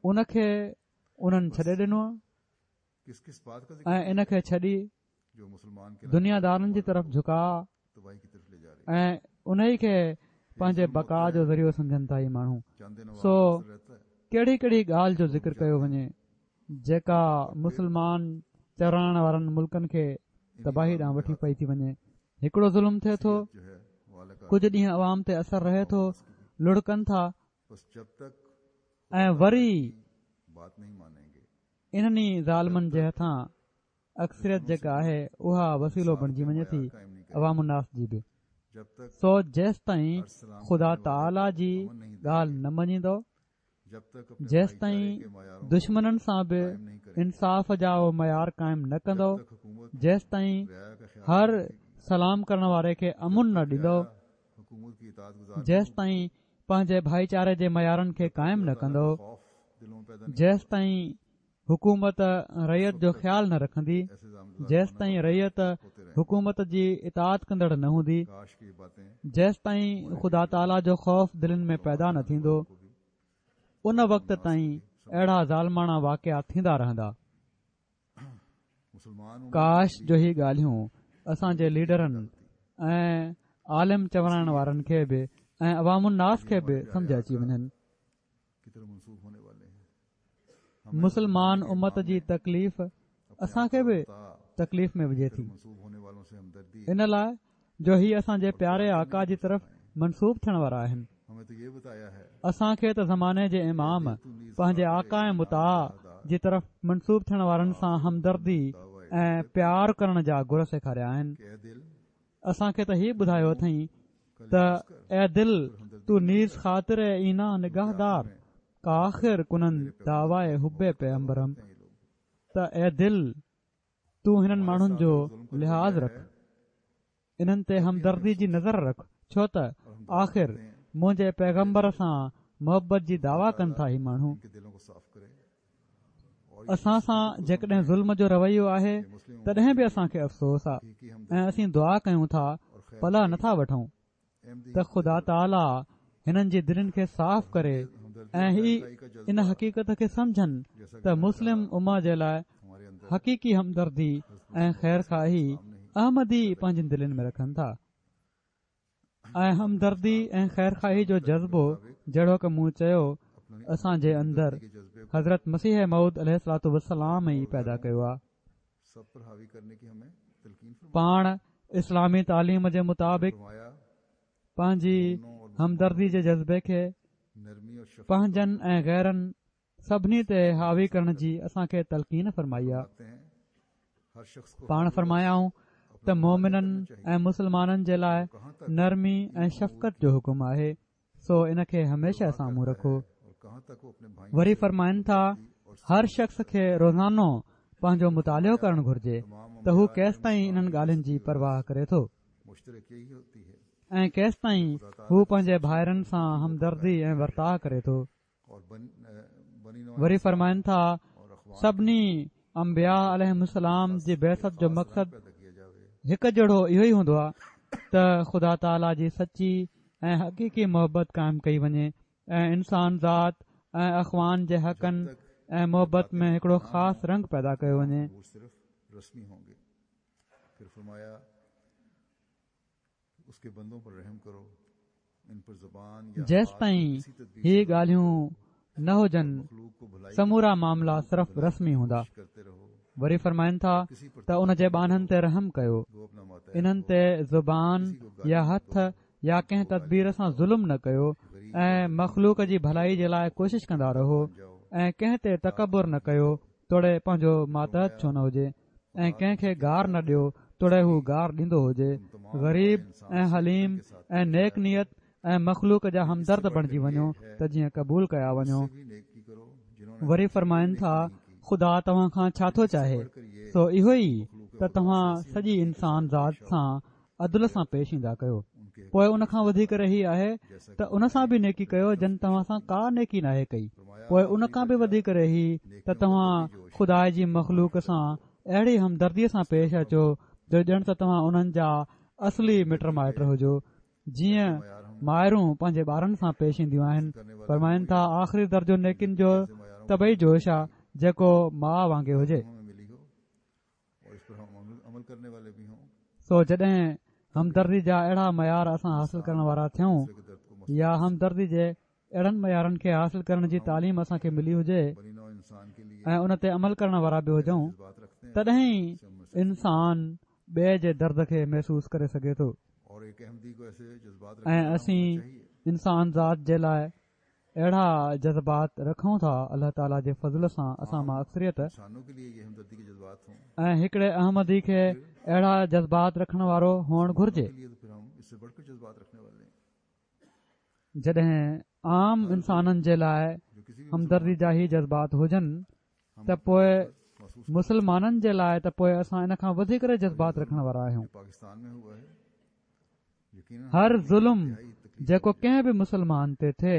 B: ان کي انهن ڇڏي ڏنو آ ۽ ان کي ڇڏي دنيا دارن جي طرف جهڪاء ۽ انهي کي پنهنجي بقا جو ذريعو سمجهن ٿا هي ماڻهو سو ڪهڙي ڪهڙي ڳالهه جو ذڪر ڪيو وڃي جيڪا مسلمان چورائڻ وارن ملڪن کي تباهي ڏانهن وٺي پئي ٿي وڃي هڪڙو ظلم ٿئي ٿو ڪجهه ڏينهن عوام تي اثر رهي ٿو لڙ ڪن ٿا ۽ وري انهن ئي ظالمن جي هٿان اڪثريت جيڪا آهي اها وسيلو بڻجي وڃي ٿي عوام الناس جي به سو جيستائين خدا تعاليٰ جي ڳالهه نه مڃيندو جيستائين دشمنن سان به انصاف جا معيار قائم نه ڪندو جيستائين هر سلام ڪرڻ واري کي امن نه ڏيندو جيستائين پنهنجي ڀائيچاري جي معيارن کي قائم نه ڪندو جيستائين حڪومت رعيت جو خيال نه رکندي جيستائين رعيت حڪومت جي اطاعت ڪندڙ نه هوندي جيستائين خدا تعاليٰ جو خوف دلين ۾ پيدا نه ٿيندو ان وقت تائين اهڙا ظالماڻا واقعا ٿيندا رهندا ڪاش جو هي ڳالهيون اسان جي ليڊرن ۽ عالم چورائڻ وارن کي به ۽ عوام الناس کي به سمجه اچي وڃن. مسلمان امت جي تڪليف اسان کي به تڪليف ۾ وجهي ٿي ان لاء جو هي اسان جي پياري آقا جي طرف منسوب ٿيڻ وارا آهن. اسان کي ته زماني جي امام پنهنجي آقا ۽ مطاع جي طرف منسوب ٿيڻ وارن سان همدردي ۽ پيار ڪرڻ جا گر سيکاريا آهن. اسان کي ته هي ٻڌايو اٿئين ته اي دل تو نيز خاطر اينان نگاه دار ڪآخر ڪنند دعويٰ حب پيمبرم ته اي دل تون هنن ماڻهن جو لحاظ رک، انهن تي همدردي جي نظر رک، ڇو ته آخر منهنجي پيغمبر سان محبت جي دعويٰ ڪن ٿا هي ماڻهو اسان سان جيڪڏهن ظلم جو رويو آهي تڏهن به اسان کي افسوس آ ۽ اسين دعا ڪيون ٿا پلئه نٿا وٺون ته خدا تعاليٰ هنن جي دلين کي صاف ڪري ۽ هي ان حقيقت کي سمجهن ته مسلم امه جي لاء حقيقي همدردي ۽ خير خواهي احمدي پنهنجين دلين ۾ رکن ٿا ۽ همدردي ۽ خير خواهي جو جذبو جهڙوڪ مون چيو اسان جي اندر حضرت مسيح موعود عليه الصلوة والسلام ئي پيدا ڪيو آهي پاڻ اسلامي تعليم جي مطابق پنهنجي همدردي جي جذبي کي پنهنجن ۽ غيرن سڀني تي حاوي ڪرڻ جي اسان کي تلقين فرمائي آ پاڻ فرمايائون ته مومنن ۽ مسلمانن جي لاء نرمي ۽ شفقت جو حڪم آهي سو ان کي هميشه سامهون رکو. وري فرمائن ٿا، هر شخص کي روزانو پنهنجو مطالعو ڪرڻ گهرجي ته هو ڪيستائين انهن ڳالهين جي پرواهه ڪري ٿو ۽ ڪيستائين هو پنهنجي ڀائرن سان همدردي ۽ ورتاء ڪري ٿو. وري فرمائن ٿا، سڀني انبياء عليهم السلام جي بعثت جو مقصد هڪ جهڙو اهو ئي هوندو آهي ته خدا تعاليٰ جي سچي ۽ حقيقي محبت قائم ڪئي وڃي ۽ انسان ذات ۽ اخوان جي حقن ۽ محبت ۾ هڪڙو خاص رنگ پيدا ڪيو وڃي. جيستائين هي ڳالهيون نه هجن سمورا معاملا صرف رسمي هوندا. وري فرمائن ٿا ته ان جي ٻانهن تي رحم ڪيو، انهن تي زبان يا هٿ يا ڪنهن تدبير سان ظلم نه ڪيو ۽ مخلوق جي ڀلائي جي لاء ڪوشش ڪندا رهو ۽ ڪنهن تي تڪبر نه ڪيو توڙي پنهنجو ماتحت ڇو نه هجي ۽ ڪنهن کي گار نه ڏيو توڙي هو گار ڏيندو هجي غريب ۽ حليم ۽ نيڪ نيت ۽ مخلوق جا همدرد بڻجي وڃو ته جيئن قبول ڪيا وڃو. وري فرمائن ٿا، خدا توهان کان ڇا ٿو چاهي؟ سو اهو ئي ته توهان سڄي انسان ذات سان عدل سان پيش ايندا ڪيو. پوء ان کان وڌي ڪري هي آهي ته ان سان به نيڪي ڪيو جن توهان سان ڪا نيڪي ناهي ڪئي. پوء ان کان به وڌي ڪري هي ته توهان خدا جي مخلوق سان اهڙي همدرديء سان پيش اچو جو ڄڻ ته توهان انهن جا اصلي مٽ مائٽ هجو. جيئن مائرون پنهنجي ٻارن سان پيش اينديون آهن، فرمائن ٿا، آخري درجو نيڪين جو طبعي جوش آ، جيڪو ماء وانگي هجي. سو جڏهن همدردي جا اهڙا معيار اسان حاصل ڪرڻ وارا ٿيون يا همدردي جي اهڙن معيارن کي حاصل ڪرڻ جي تعليم اسان کي ملي هجي ۽ ان تي عمل ڪرڻ وارا به هجون تڏهن ئي انسان ٻئي جي درد کي محسوس ڪري سگهي ٿو ۽ اسين انسان ذات جي لاء اهڙا جذبات رکون ٿا الله تعاليٰ جي فضل سان اسان مان اڪثريت ۽ هڪڙي احمدي کي اهڙا جذبات رکڻ وارو هئڻ گهرجي. جڏهن عام انسانن جي لاء همدردي جا هي جذبات هجن ته پوء مسلمانن جي لاء ته پوء اسان ان کان وڌي ڪري جذبات رکڻ وارا آهيون. هر ظلم جيڪو ڪنهن به مسلمان تي ٿئي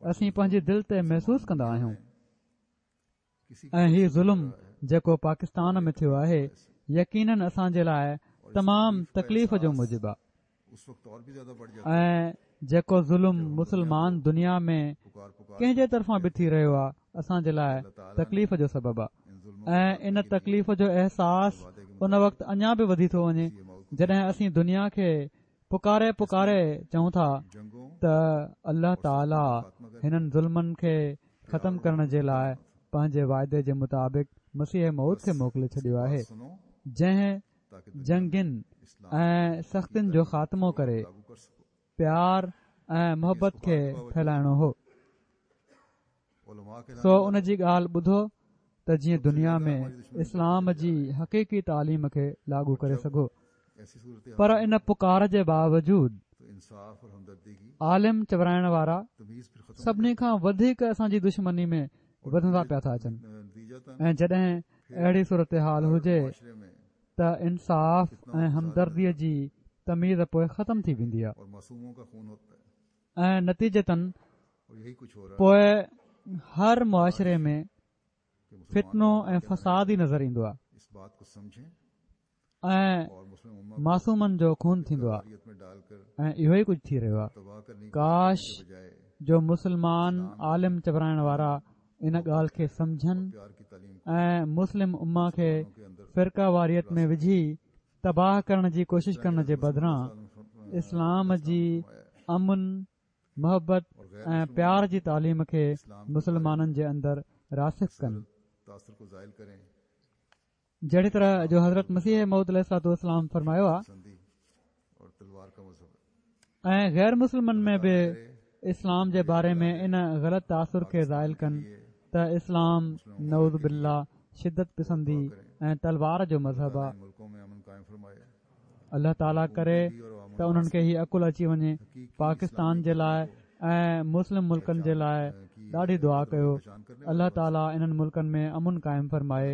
B: اسين پنهنجي دل تي محسوس ڪندا آهيون. ۽ هي ظلم جيڪو پاڪستان ۾ ٿيو آهي يقينن اسان جي لاء تمام تڪليف جو موجب آهي ۽ جيڪو ظلم مسلمان دنيا ۾ ڪنهن جي طرفان به ٿي رهيو آهي اسان جي لاء تڪليف جو سبب آهي ۽ ان تڪليف جو احساس ان وقت اڃا به وڌي ٿو وڃي جڏهن اسين دنيا کي پڪاري پڪاري چئون ٿا ته الله تعالي هنن ظلمن کي ختم ڪرڻ جي لاء پنهنجي وعدي جي مطابق مسيح موعود کي موڪلي ڇڏيو آهي جنهن جنگين ۽ سختين جو خاتمو ڪري پيار ۽ محبت کي ڦهلائڻو هو. سو ان جي ڳالهه ٻڌو ته جيئن دنيا ۾ اسلام جي حقيقي تعليم کي لاڳو ڪري سگهو. پر ان پڪار جي باوجود عالم چورائڻ وارا سڀني کان وڌيڪ اسان جي دشمني ۾ وڌندا پيا ٿا اچن ۽ جڏهن اهڙي صورتحال هجي ته انصاف ۽ همدردي جي تميز پوء ختم ٿي ويندي آهي. ۽ نتيجتن پوء هر معاشري ۾ فتنو ۽ فساد ئي نظر ايندو آهي ۽ معصومن جو خون ٿيندو آهي ۽ اهو ئي ڪجهه ٿي رهيو آهي ڪاش جو مسلمان عالم چورائڻ وارا ان ڳالهه کي سمجهن ۽ مسلم امه کي فرقه واريت ۾ وجهي تباهه ڪرڻ جي ڪوشش ڪرڻ جي بدران اسلام جي امن، محبت ۽ پيار جي تعليم کي مسلمانن جي اندر راسخ ڪن. جهڙي طرح جو حضرت مسيح موعود عليه الصلوة والسلام فرمايو آهي. ۽ غير مسلمن ۾ به اسلام جي باري ۾ ان غلط تاثر کي زائل ڪن ته اسلام نعوذ بالله شدت پسندي ۽ تلوار جو مذهب آ. الله تعاليٰ ڪري ته انهن کي هي عقل اچي وڃي. پاڪستان جي لاء ۽ مسلم ملڪن جي لاء ڏاڍي دعا ڪيو. الله تعاليٰ انهن ملڪن ۾ امن قائم فرمائي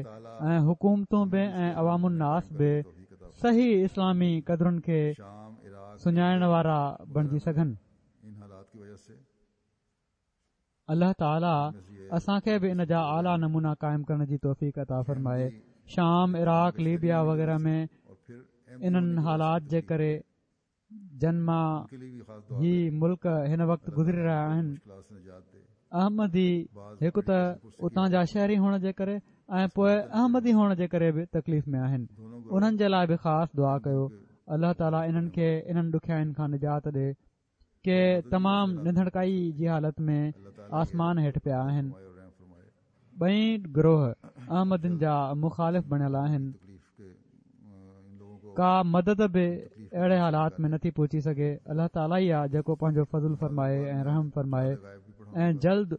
B: ۽ حڪومتون به ۽ عوام الناس به صحيح اسلامي قدرن کي سڃاڻڻ وارا بڻجي سگهن. الله تعالي اسان کي به ان جا اعليٰ نمونا قائم ڪرڻ جي توفيق عطا فرمائي. شام، عراق، ليبيا وغيره ۾ انهن حالات جي ڪري جن مان هي ملڪ هن وقت گذري رهيا آهن، احمدي هڪ ته اتان جا شهري هئڻ جي ڪري ۽ پوء احمدي هئڻ جي ڪري به تڪليف ۾ آهن انهن جي لاء به خاص دعا ڪيو الله تعالي انهن کي انهن ڏکيائين کان نجات ڏي ڪي تمام نڌڻڪائي جي حالت ۾ آسمان هيٺ پيا آهن. ٻئي گروهه احمدين جا مخالف بڻيل آهن. ڪا مدد به اهڙي حالات ۾ نٿي پهچي سگهي. الله تعاليٰ ئي آ جيڪو پنهنجو فضل فرمائي ۽ رحم فرمائي ۽ جلد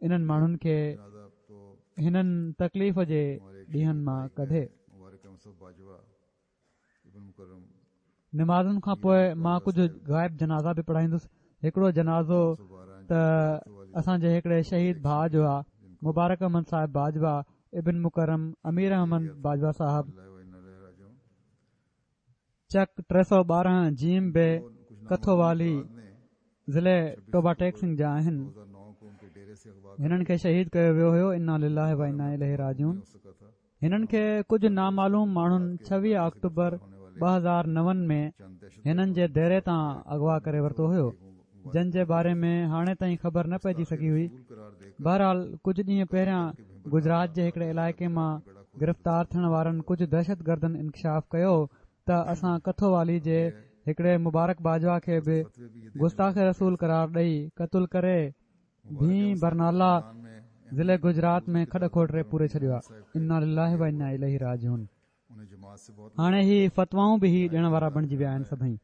B: انهن ماڻهن کي هنن تڪليف جي ڏينهن مان ڪڍي. نمازن کان پوء مان ڪجهه غائب جنازا به پڙهائيندس. هڪڙو جنازو ته اسان جي هڪڙي شهيد ڀاء جو آ، مبارڪ احمد صاحب باجوا ابن مڪرم امير احمد باجوا صاحب، چڪ 312 جيم بي کٿووالي ضلعي ٽوبا ٽيڪ سنگهه جا آهن. هنن کي شهيد ڪيو ويو هيو انا لله و انا اليه راجعون. هنن کي ڪجهه نامعلوم ماڻهن 26 آڪٽوبر 2009 ۾ هنن جي ديري تان اغوا ڪري ورتو هيو جن جي باري ۾ هاڻي تائين خبر نه پئجي سگهي هئي بهرحال ڪجهه ڏينهن پهريان گجرات جي هڪڙي علائقي مان گرفتار ٿيڻ وارن ڪجهه دهشتگردن انڪشاف ڪيو ته اسان کٿو والي جي هڪڙي مبارڪ باجوا کي به گستاخ رسول قرار ڏئي قتل ڪري ڀين برنالا ضلعي گجرات ۾ کڏ کوٽي پوري ڇڏيو آ انا لله و انا اليه راجعون هاڻي هي فتوائون به هي ڏيڻ وارا بڻجي ويا آهن سڀئي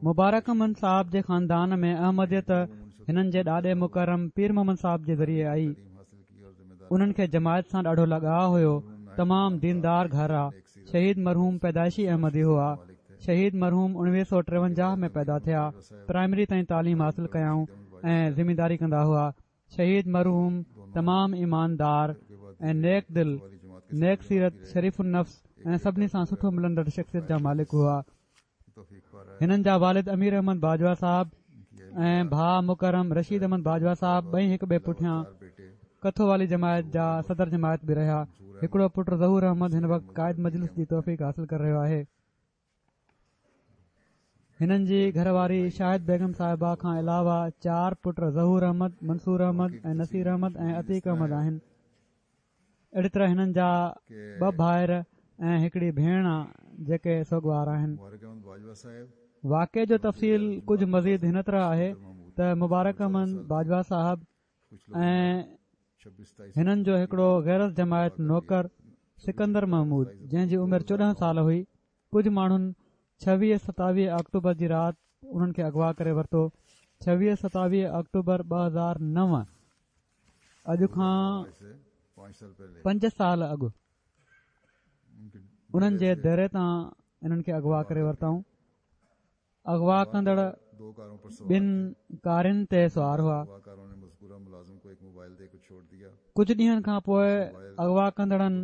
B: مبارڪ احمد صاحب جي خاندان ۾ احمديت هنن جي ڏاڏي مڪرم پير محمد صاحب جي ذريعي آئي انهن کي جماعت سان ڏاڍو لڳاء هيو تمام ديندار گهر آ شهيد مرحوم پيدائشي احمدي هئا. شهيد مرحوم 1953 ۾ پيدا ٿيا. پرائمري تائين تعليم حاصل ڪيائون ۽ زمينداري ڪندا هئا. شهيد مرحوم تمام ايماندار ۽ نيڪ دل، نيڪ سيرت، شريف النفس ۽ سڀني سان سٺو ملندڙ شخصيت جا مالڪ هئا. هنن جا والد امير احمد باجوا صاحب ۽ ڀاء مڪرم رشيد احمد باجوا صاحب ٻئي هڪ ٻئي پٺيان کٿو والي جماعت جا صدر جماعت به رهيا هڪڙو پٽ ظهور احمد هن وقت قائد مجلس جي توفيق حاصل ڪري رهيو آهي هنن جي گهر واري شاهد بيگم صاحبه کان علاوه چار پٽ ظهور احمد منصور احمد ۽ نصير احمد ۽ عتيق احمد آهن اهڙي طرح هنن جا ٻه ڀائر ۽ هڪڙي ڀيڻ آ جيڪي سوڳوار آهن. واقعي جو تفصيل ڪجهه مزيد هن طرح آهي ته مبارڪ احمد باجوا صاحب ۽ هنن جو هڪڙو غير از جماعت نوڪر سڪندر محمود جنهن جي عمر 14 سال هئي ڪجهه ماڻهن ڇويهه ستاويهه آڪٽوبر جي رات انهن کي اغوا ڪري ورتو ڇويهه ستاويهه آڪٽوبر 2009 اڄ کان پنج سال اڳ انهن جي ديري تان انهن کي اغوا ڪري ورتائون اغوا ڪندڙ ٻن ڪارين تي سوار هئا ڪجهه ڏينهن کان پوء اغوا ڪندڙن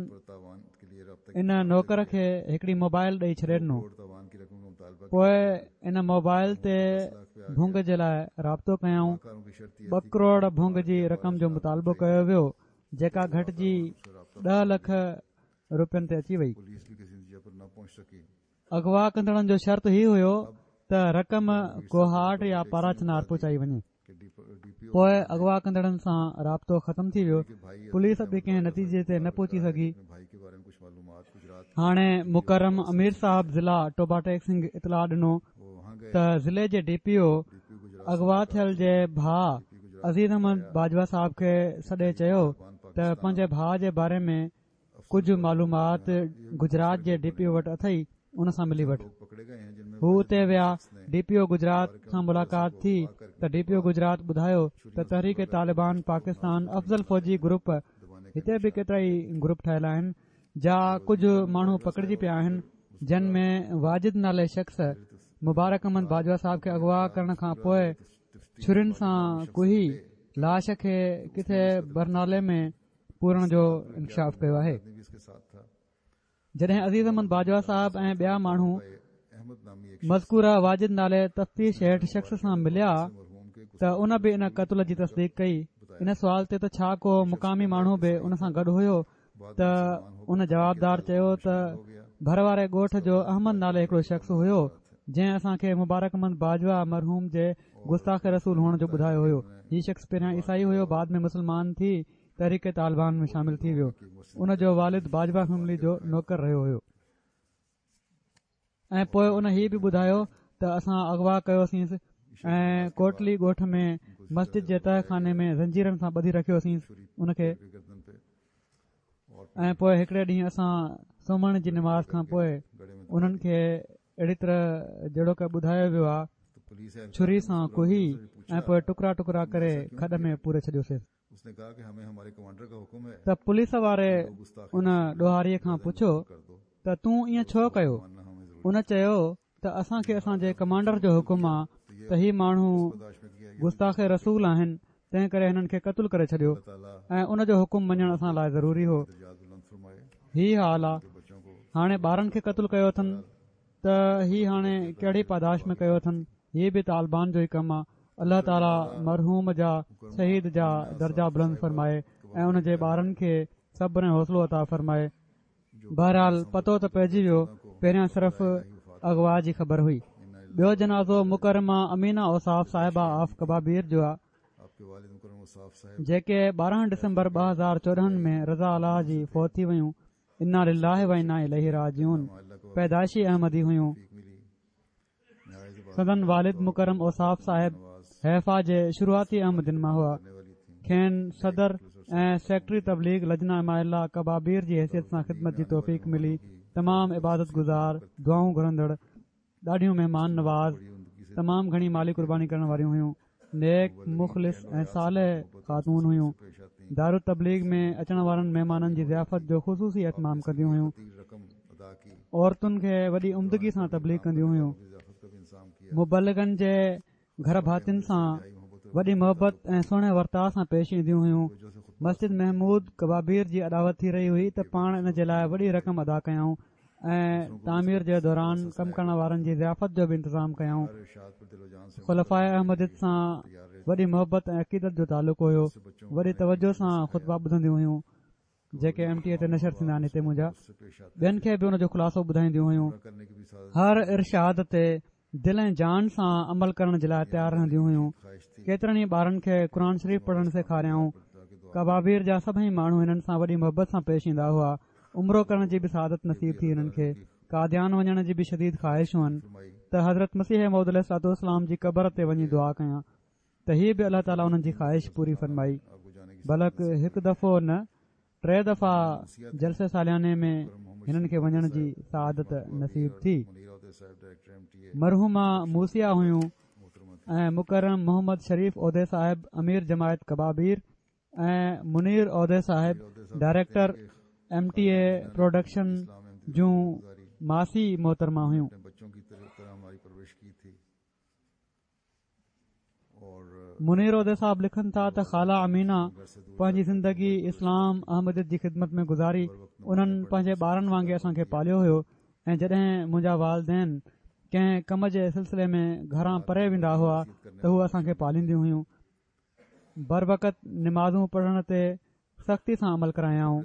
B: ان نوڪر کي هڪڙي موبائل ڏئي ڇڏي ڏنو پوء ان موبائل تي ڀونگ جي لاء رابطو ڪيائون ٻه ڪروڙ ڀونگ جي رقم جو مطالبو ڪيو ويو جيڪا گهٽجي ڏهه لک روپين تي اچي وئي اغوا ڪندڙن جو شرط هي هيو ته رقم ڪوهاٽ يا پاراچنار پهچائي وڃي پوء اغوا ڪندڙن سان رابطو ختم ٿي ويو پوليس به ڪنهن نتيجي تي نه پهچي سگهي هاڻي مڪرم امير صاحب ضلع ٽوبا ٽيڪ سنگهه اطلاع ڏنو ته ضلعي جي ڊي پي او اغوا ٿيل جي ڀاء عزيز احمد باجوا صاحب کي سڏي چيو ته پنهنجي ڀاء جي باري ۾ ڪجهه معلومات گجرات جي ڊي پي او وٽ اٿئي ان سان ملي وٺ. هو اتي ويا ڊي پي او گجرات سان ملاقات ٿي ته ڊي پي او گجرات ٻڌايو ته تحريڪ طالبان پاڪستان افضل فوجي گروپ هتي به ڪيترائي گروپ ٺهيل آهن جا ڪجهه ماڻهو پڪڙجي پيا آهن جن ۾ واجد نالي شخص مبارڪ احمد باجوا صاحب کي اغوا ڪرڻ کان پوء ڇرين سان ڪهي لاش کي ڪٿي برنالي ۾ پورڻ جو انڪشاف ڪيو آهي جڏهن عزيز احمد باجوا صاحب ۽ ٻيا ماڻهو مذڪوره واجد نالي تفتيش هيٺ شخص سان مليا ته ان به ان قتل جي تصديق ڪئي ان سوال تي ته ڇا ڪو مقامي ماڻهو به ان سان گڏ هيو ته ان جوابدار چيو ته ڀر واري ڳوٺ جو احمد نالي هڪڙو شخص هيو جنهن اسان کي مبارڪ احمد باجوا مرحوم جي گستاخ رسول هئڻ جو ٻڌايو هيو هي شخص پهريان عيسائي هيو بعد ۾ مسلمان ٿي تحريڪ طالبان ۾ شامل ٿي ويو ان جو والد باجوا فيملي جو نوڪر رهيو هيو ۽ پوء ان هي به ٻڌايو ته اسان اغوا ڪيوسينس ۽ ڪوٽلي ڳوٺ ۾ مسجد جي تهه خاني ۾ زنجيرن سان ٻڌي رکيوسينس ان کي. ۽ پوء هڪڙي ڏينهن اسان سومهڻي جي نماز کان پوء انهن کي اهڙي طرح جهڙوڪ ٻڌايو ويو آهي ڇري سان ڪهي ۽ پوء ٽڪرا ٽڪرا ڪري کڏ ۾ پوري ڇڏيوسي. ته پوليس واري ان ڏوهاري کان پڇيو ته تون ائين ڇو ڪيو؟ ان چيو ته اسان کي اسان جي ڪمانڊر جو حڪم آ ته هي ماڻهو گستاخ رسول آهن تنهن ڪري هنن کي قتل ڪري ڇڏيو ۽ ان جو حڪم مڃڻ اسان لاء ضروري هو هي حال آ هاڻي ٻارن کي قتل ڪيو اٿن ته هي هاڻي ڪهڙي پاداش ۾ ڪيو اٿن هي به طالبان جو ئي ڪم آ الله تعالي مرحوم جا شهيد جا درجا بلند فرمائي ۽ ان جي ٻارن کي صبر ۽ حوصلو عطا فرمائي بهرحال پتو ته پئجي ويو پهريان صرف اغوا جي خبر هئي ٻيو جنازو مڪرمه امينه اوصاف صاحبه آف ڪبابير جو آ جيڪي 12 ڊسمبر 2014 ۾ رضا الله جي فوت ٿي ويون انا لله و انا اليه راجعون پيدائشي احمدي هيون سندن والد مڪرم اوصاف صاحب حيفا جي شروعاتي احمدين مان هئا. کين صدر ۽ سيڪريٽري تبليغ لجنه اماء الله ڪبابير جي حيثيت سان خدمت جي توفيق ملي. تمام عبادت گذار، دعائون گهرندڙ، ڏاڍيون مهمان نواز، تمام گهڻي مالي قرباني ڪرڻ واريون هيون. نيڪ، مخلص ۽ صالح خاتون هيون. دارالتبليغ ۾ اچڻ وارن مهمانن جي ضيافت جو خصوصي اهتمام ڪنديون هيون. عورتن کي وڏي عمدگي سان تبليغ ڪنديون هيون. مبلغن جي گهر ڀاتين سان وڏي محبت ۽ سهڻي ورتاء سان پيش اينديون هيون. مسجد محمود ڪبابير جي اڏاوت ٿي رهي هئي ته پاڻ ان جي لاء وڏي رقم ادا ڪيائون. ۽ تعمير جي دوران ڪم ڪرڻ وارن جي ضيافت جو به انتظام ڪيائون. خلفاء احمديت سان وڏي محبت ۽ عقيدت جو تعلق هيو. وڏي توجه سان خطبا ٻڌنديون هيون جيڪي ايم ٽي اي تي نشر ٿيندا آهن هتي منهنجا ٻين کي به ان جو خلاصو ٻڌائينديون هيون. هر ارشاد تي دل ۽ جان سان عمل ڪرڻ جي لاء تيار رهنديون هيون. ڪيترن ئي ٻارن کي قرآن شريف پڙهڻ سيکاريائون. ڪبابير جا سڀئي ماڻهو هنن سان وڏي محبت سان پيش ايندا هئا. عمرو ڪرڻ جي به سعادت نصيب ٿي هنن کي. قاديان وڃڻ جي به شديد خواهش هئن ته حضرت مسيح موعود عليه الصلوة والسلام جي قبر تي وڃي دعا ڪيان ته هي به الله تعاليٰ انهن جي خواهش پوري فرمائي. بلڪ هڪ دفعو نه ٽي دفعا جلسي سالياني ۾ هنن کي وڃڻ جي سعادت نصيب ٿي. مرحومه موصيه هيون ۽ مڪرم محمد شريف عوده صاحب امير جماعت ڪبابير ۽ منير عوده صاحب ڊائريڪٽر ايم ٽي اي پروڊڪشن جون ماسي محترمه هيون. منير عوده صاحب لکن ٿا ته خاله امينه پنهنجي زندگي اسلام احمديت جي خدمت ۾ گذاري انهن پنهنجي ٻارن وانگي اسان کي پاليو هيو ۽ جڏهن منهنجا والدين ڪنهن ڪم جي سلسلي ۾ گهران پري ويندا هئا ته هو اسان کي پالينديون هيون بروقت نمازون پڙهڻ تي سختي سان عمل ڪرايائون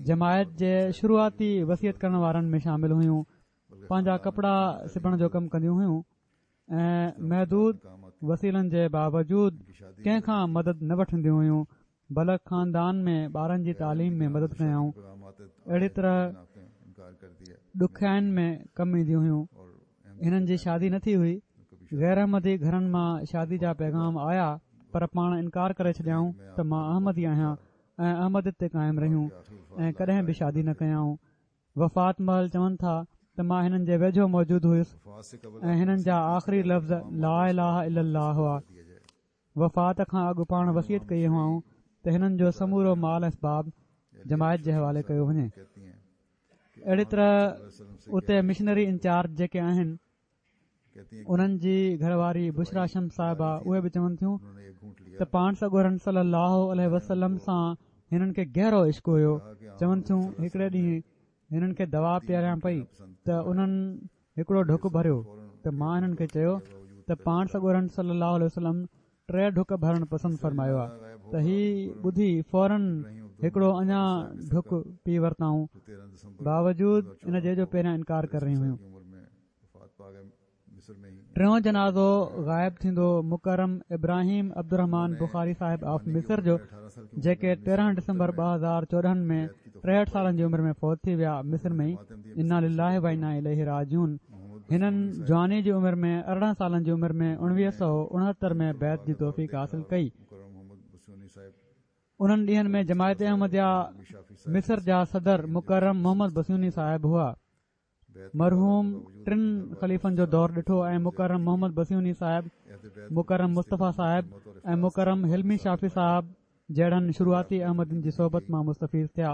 B: جماعت جي شروعاتي وصيت ڪرڻ وارن ۾ شامل هيون پنهنجا ڪپڙا سبڻ جو ڪم ڪنديون هيون ۽ محدود وسيلن جي باوجود ڪنهن کان مدد نه وٺنديون هيون بلڪ خاندان ۾ ٻارن جي تعليم ۾ مدد ڪيائون اهڙي طرح ڏکيائين ۾ ڪم اينديون هيون هنن جي شادي نه ٿي هئي غير احمدي گهرن مان شادي جا پيغام آيا پر پاڻ انڪار ڪري ڇڏيائون ته مان احمدي آهيان ۽ احمديت تي قائم رهيون ۽ ڪڏهن به شادي نه ڪيائون وفات مهل چون ٿا ته مان هنن جي ويجهو موجود هيس ۽ هنن جا آخري لفظ لا اله الا الله هئا. وفات کان اڳ پاڻ وصيت ڪئي هئائون ته هنن جو سمورو مال اسباب جماعت جي حوالي ڪيو وڃي. اهڙي طرح اتي مشنري انچارج جيڪي آهن انهن جي گهر واري بشريٰ شمس صاحبه اهي به چون ٿيون ته پاڻ سڳورن صلي الله عليه وسلم سان هنن کي گهرو عشق هيو چون ٿيون هڪڙي ڏينهن هنن کي دوا پياريان پئي ته انهن هڪڙو ڍڪ ڀريو ته مان هنن کي چيو ته پاڻ سڳورن صلي الله عليه وسلم ٽي ڍڪ ڀرڻ پسند فرمايو آهي ته هي ٻڌي فورن هڪڙو اڃا ڍڪ پي ورتائون باوجود ان جي جو پهريان انڪار ڪري رهيون هيون ٽيون جنازو غائب ٿيندو مڪرم ابراهيم عبدالرحمان بخاري صاحب آف مصر جو جيڪي 13 ڊسمبر 2014 ۾ 63 سالن جي عمر ۾ فوت ٿي ويا مصر ۾ ئي انا لله و انا اليه راجعون هنن جواني جي عمر ۾ 18 سالن جي عمر ۾ 1969 ۾ بيعت جي توفيق حاصل ڪئي. انهن ڏينهن ۾ جماعت احمديه مصر جا صدر مڪرم محمد بسيوني صاحب هئا. مرحوم ٽن خليفن جو دور ڏٺو ۽ مڪرم محمد بسيوني صاحب، مڪرم مصطفيٰ صاحب ۽ مڪرم حلمي شافي صاحب جهڙن شروعاتي احمدين جي صحبت مان مستفيض ٿيا.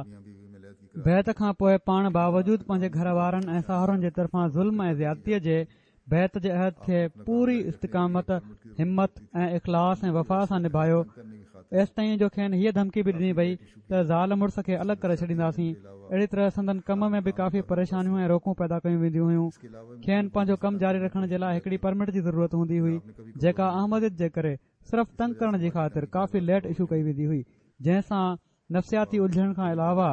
B: بيعت کان پوء پاڻ باوجود پنهنجي گهر وارن ۽ ساهرن جي طرفان ظلم ۽ زيادتيء جي بيعت جي عهد کي پوري استقامت، همت ۽ اخلاص ۽ وفا سان نڀايو، ايستائين جو کين هيء ڌمڪي به ڏني وئي ته زال مڙس کي الڳ ڪري ڇڏينداسين. اهڙي طرح سندن ڪم ۾ به ڪافي پريشانيون ۽ روڪون پيدا ڪيون وينديون هيون. کين پنهنجو ڪم جاري رکڻ جي لاء هڪڙي پرمٽ جي ضرورت هوندي هئي، جيڪا احمديت جي ڪري صرف تنگ ڪرڻ جي خاطر ڪافي ليٽ اشو ڪئي ويندي هئي، جنهن سان نفسياتي الجهن کان علاوه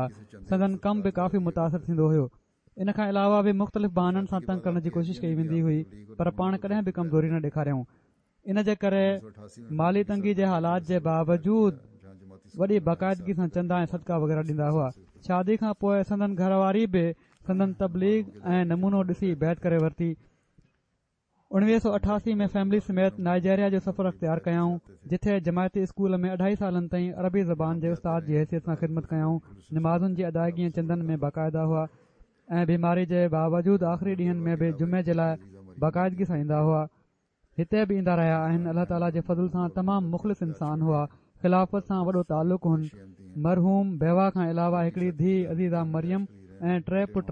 B: سندن ڪم به ڪافي متاثر ٿيندو هيو. ان کان علاوه به مختلف بهانن سان تنگ ڪرڻ جي ڪوشش ڪئي ويندي هئي پر پاڻ ڪڏهن به ڪمزوري نه ڏيکاريائون ان جي ڪري مالي تنگي جي حالات جي باوجود وڏي باقاعدگي سان چندا ۽ صدقا وغيره ڏيندا هئا شادي کان پوء سندن گهر واري به سندن تبليغ ۽ نمونو ڏسي بيعت ڪري ورتي 1988 ۾ فيملي سميت نائجيريا جو سفر اختيار ڪيائون، جتي جماعتي اسڪول ۾ اڍائي سالن تائين عربي زبان جي استاد جي حيثيت سان خدمت ڪيائون. نمازن جي ادائگي ۽ چندن ۾ باقاعده هئا ۽ بيماري جي باوجود آخري ڏينهن ۾ به جمعي جي لاء باقاعدگي سان ايندا هئا. هتي به ايندا رهيا آهن. الله تعاليٰ جي فضل سان تمام مخلص انسان هئا. خلافت سان وڏو تعلق هن. مرحوم بيوه کان علاوه هڪڙي ڌيء عزيزه مريم ۽ ٽي پٽ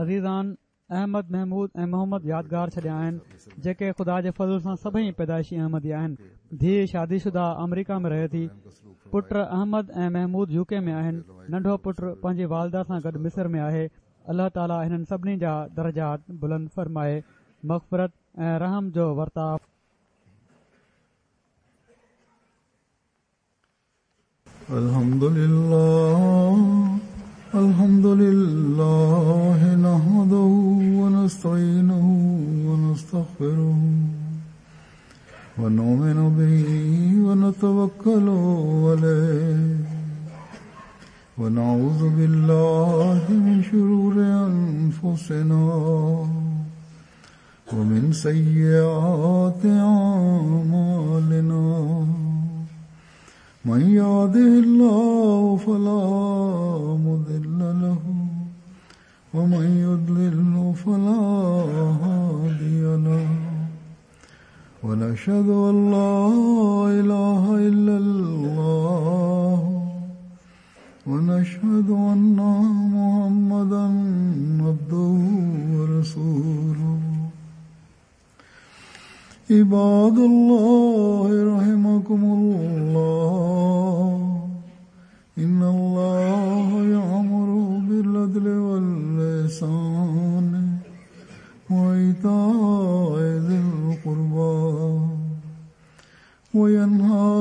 B: عزيزان احمد محمود ۽ محمد يادگار ڇڏيا آهن جيڪي خدا جي فضل سان سڀئي پيدائشي احمدي آهن ڌيء شادي شده آمريڪا ۾ رهي ٿي پٽ احمد ۽ محمود يو ڪي ۾ آهن ننڍو پٽ پنهنجي والده سان گڏ مصر ۾ آهي الله تعالي هنن سڀني جا درجات بلند فرمائي مغفرت ۽ رحم جو ورتاء
A: الحمد لله الحمد لله نحمده ونستعينه ونستغفره ونؤمن به ونتوكل عليه ونعوذ بالله من شرور أنفسنا ومن سيئات أعمالنا من يهده الله فلا مضل له ومن يضلل فلا هادي له ونشهد أن لا إله إلا الله ونشهد أن محمدا عبده ورسوله عباد الله رحمكم الله إن الله يأمر بالعدل والإحسان وإيتاء ذي القربى وينهى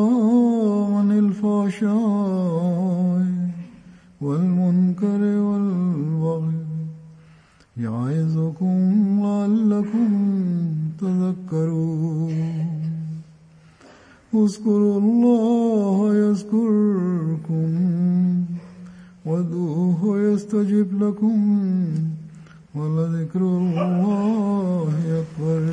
A: عن الفحشاء والمنكر والبغي يعظكم لعلكم تذكرون اذكروا الله يذكركم وادعوه يستجب لكم ولذكر الله أكبر.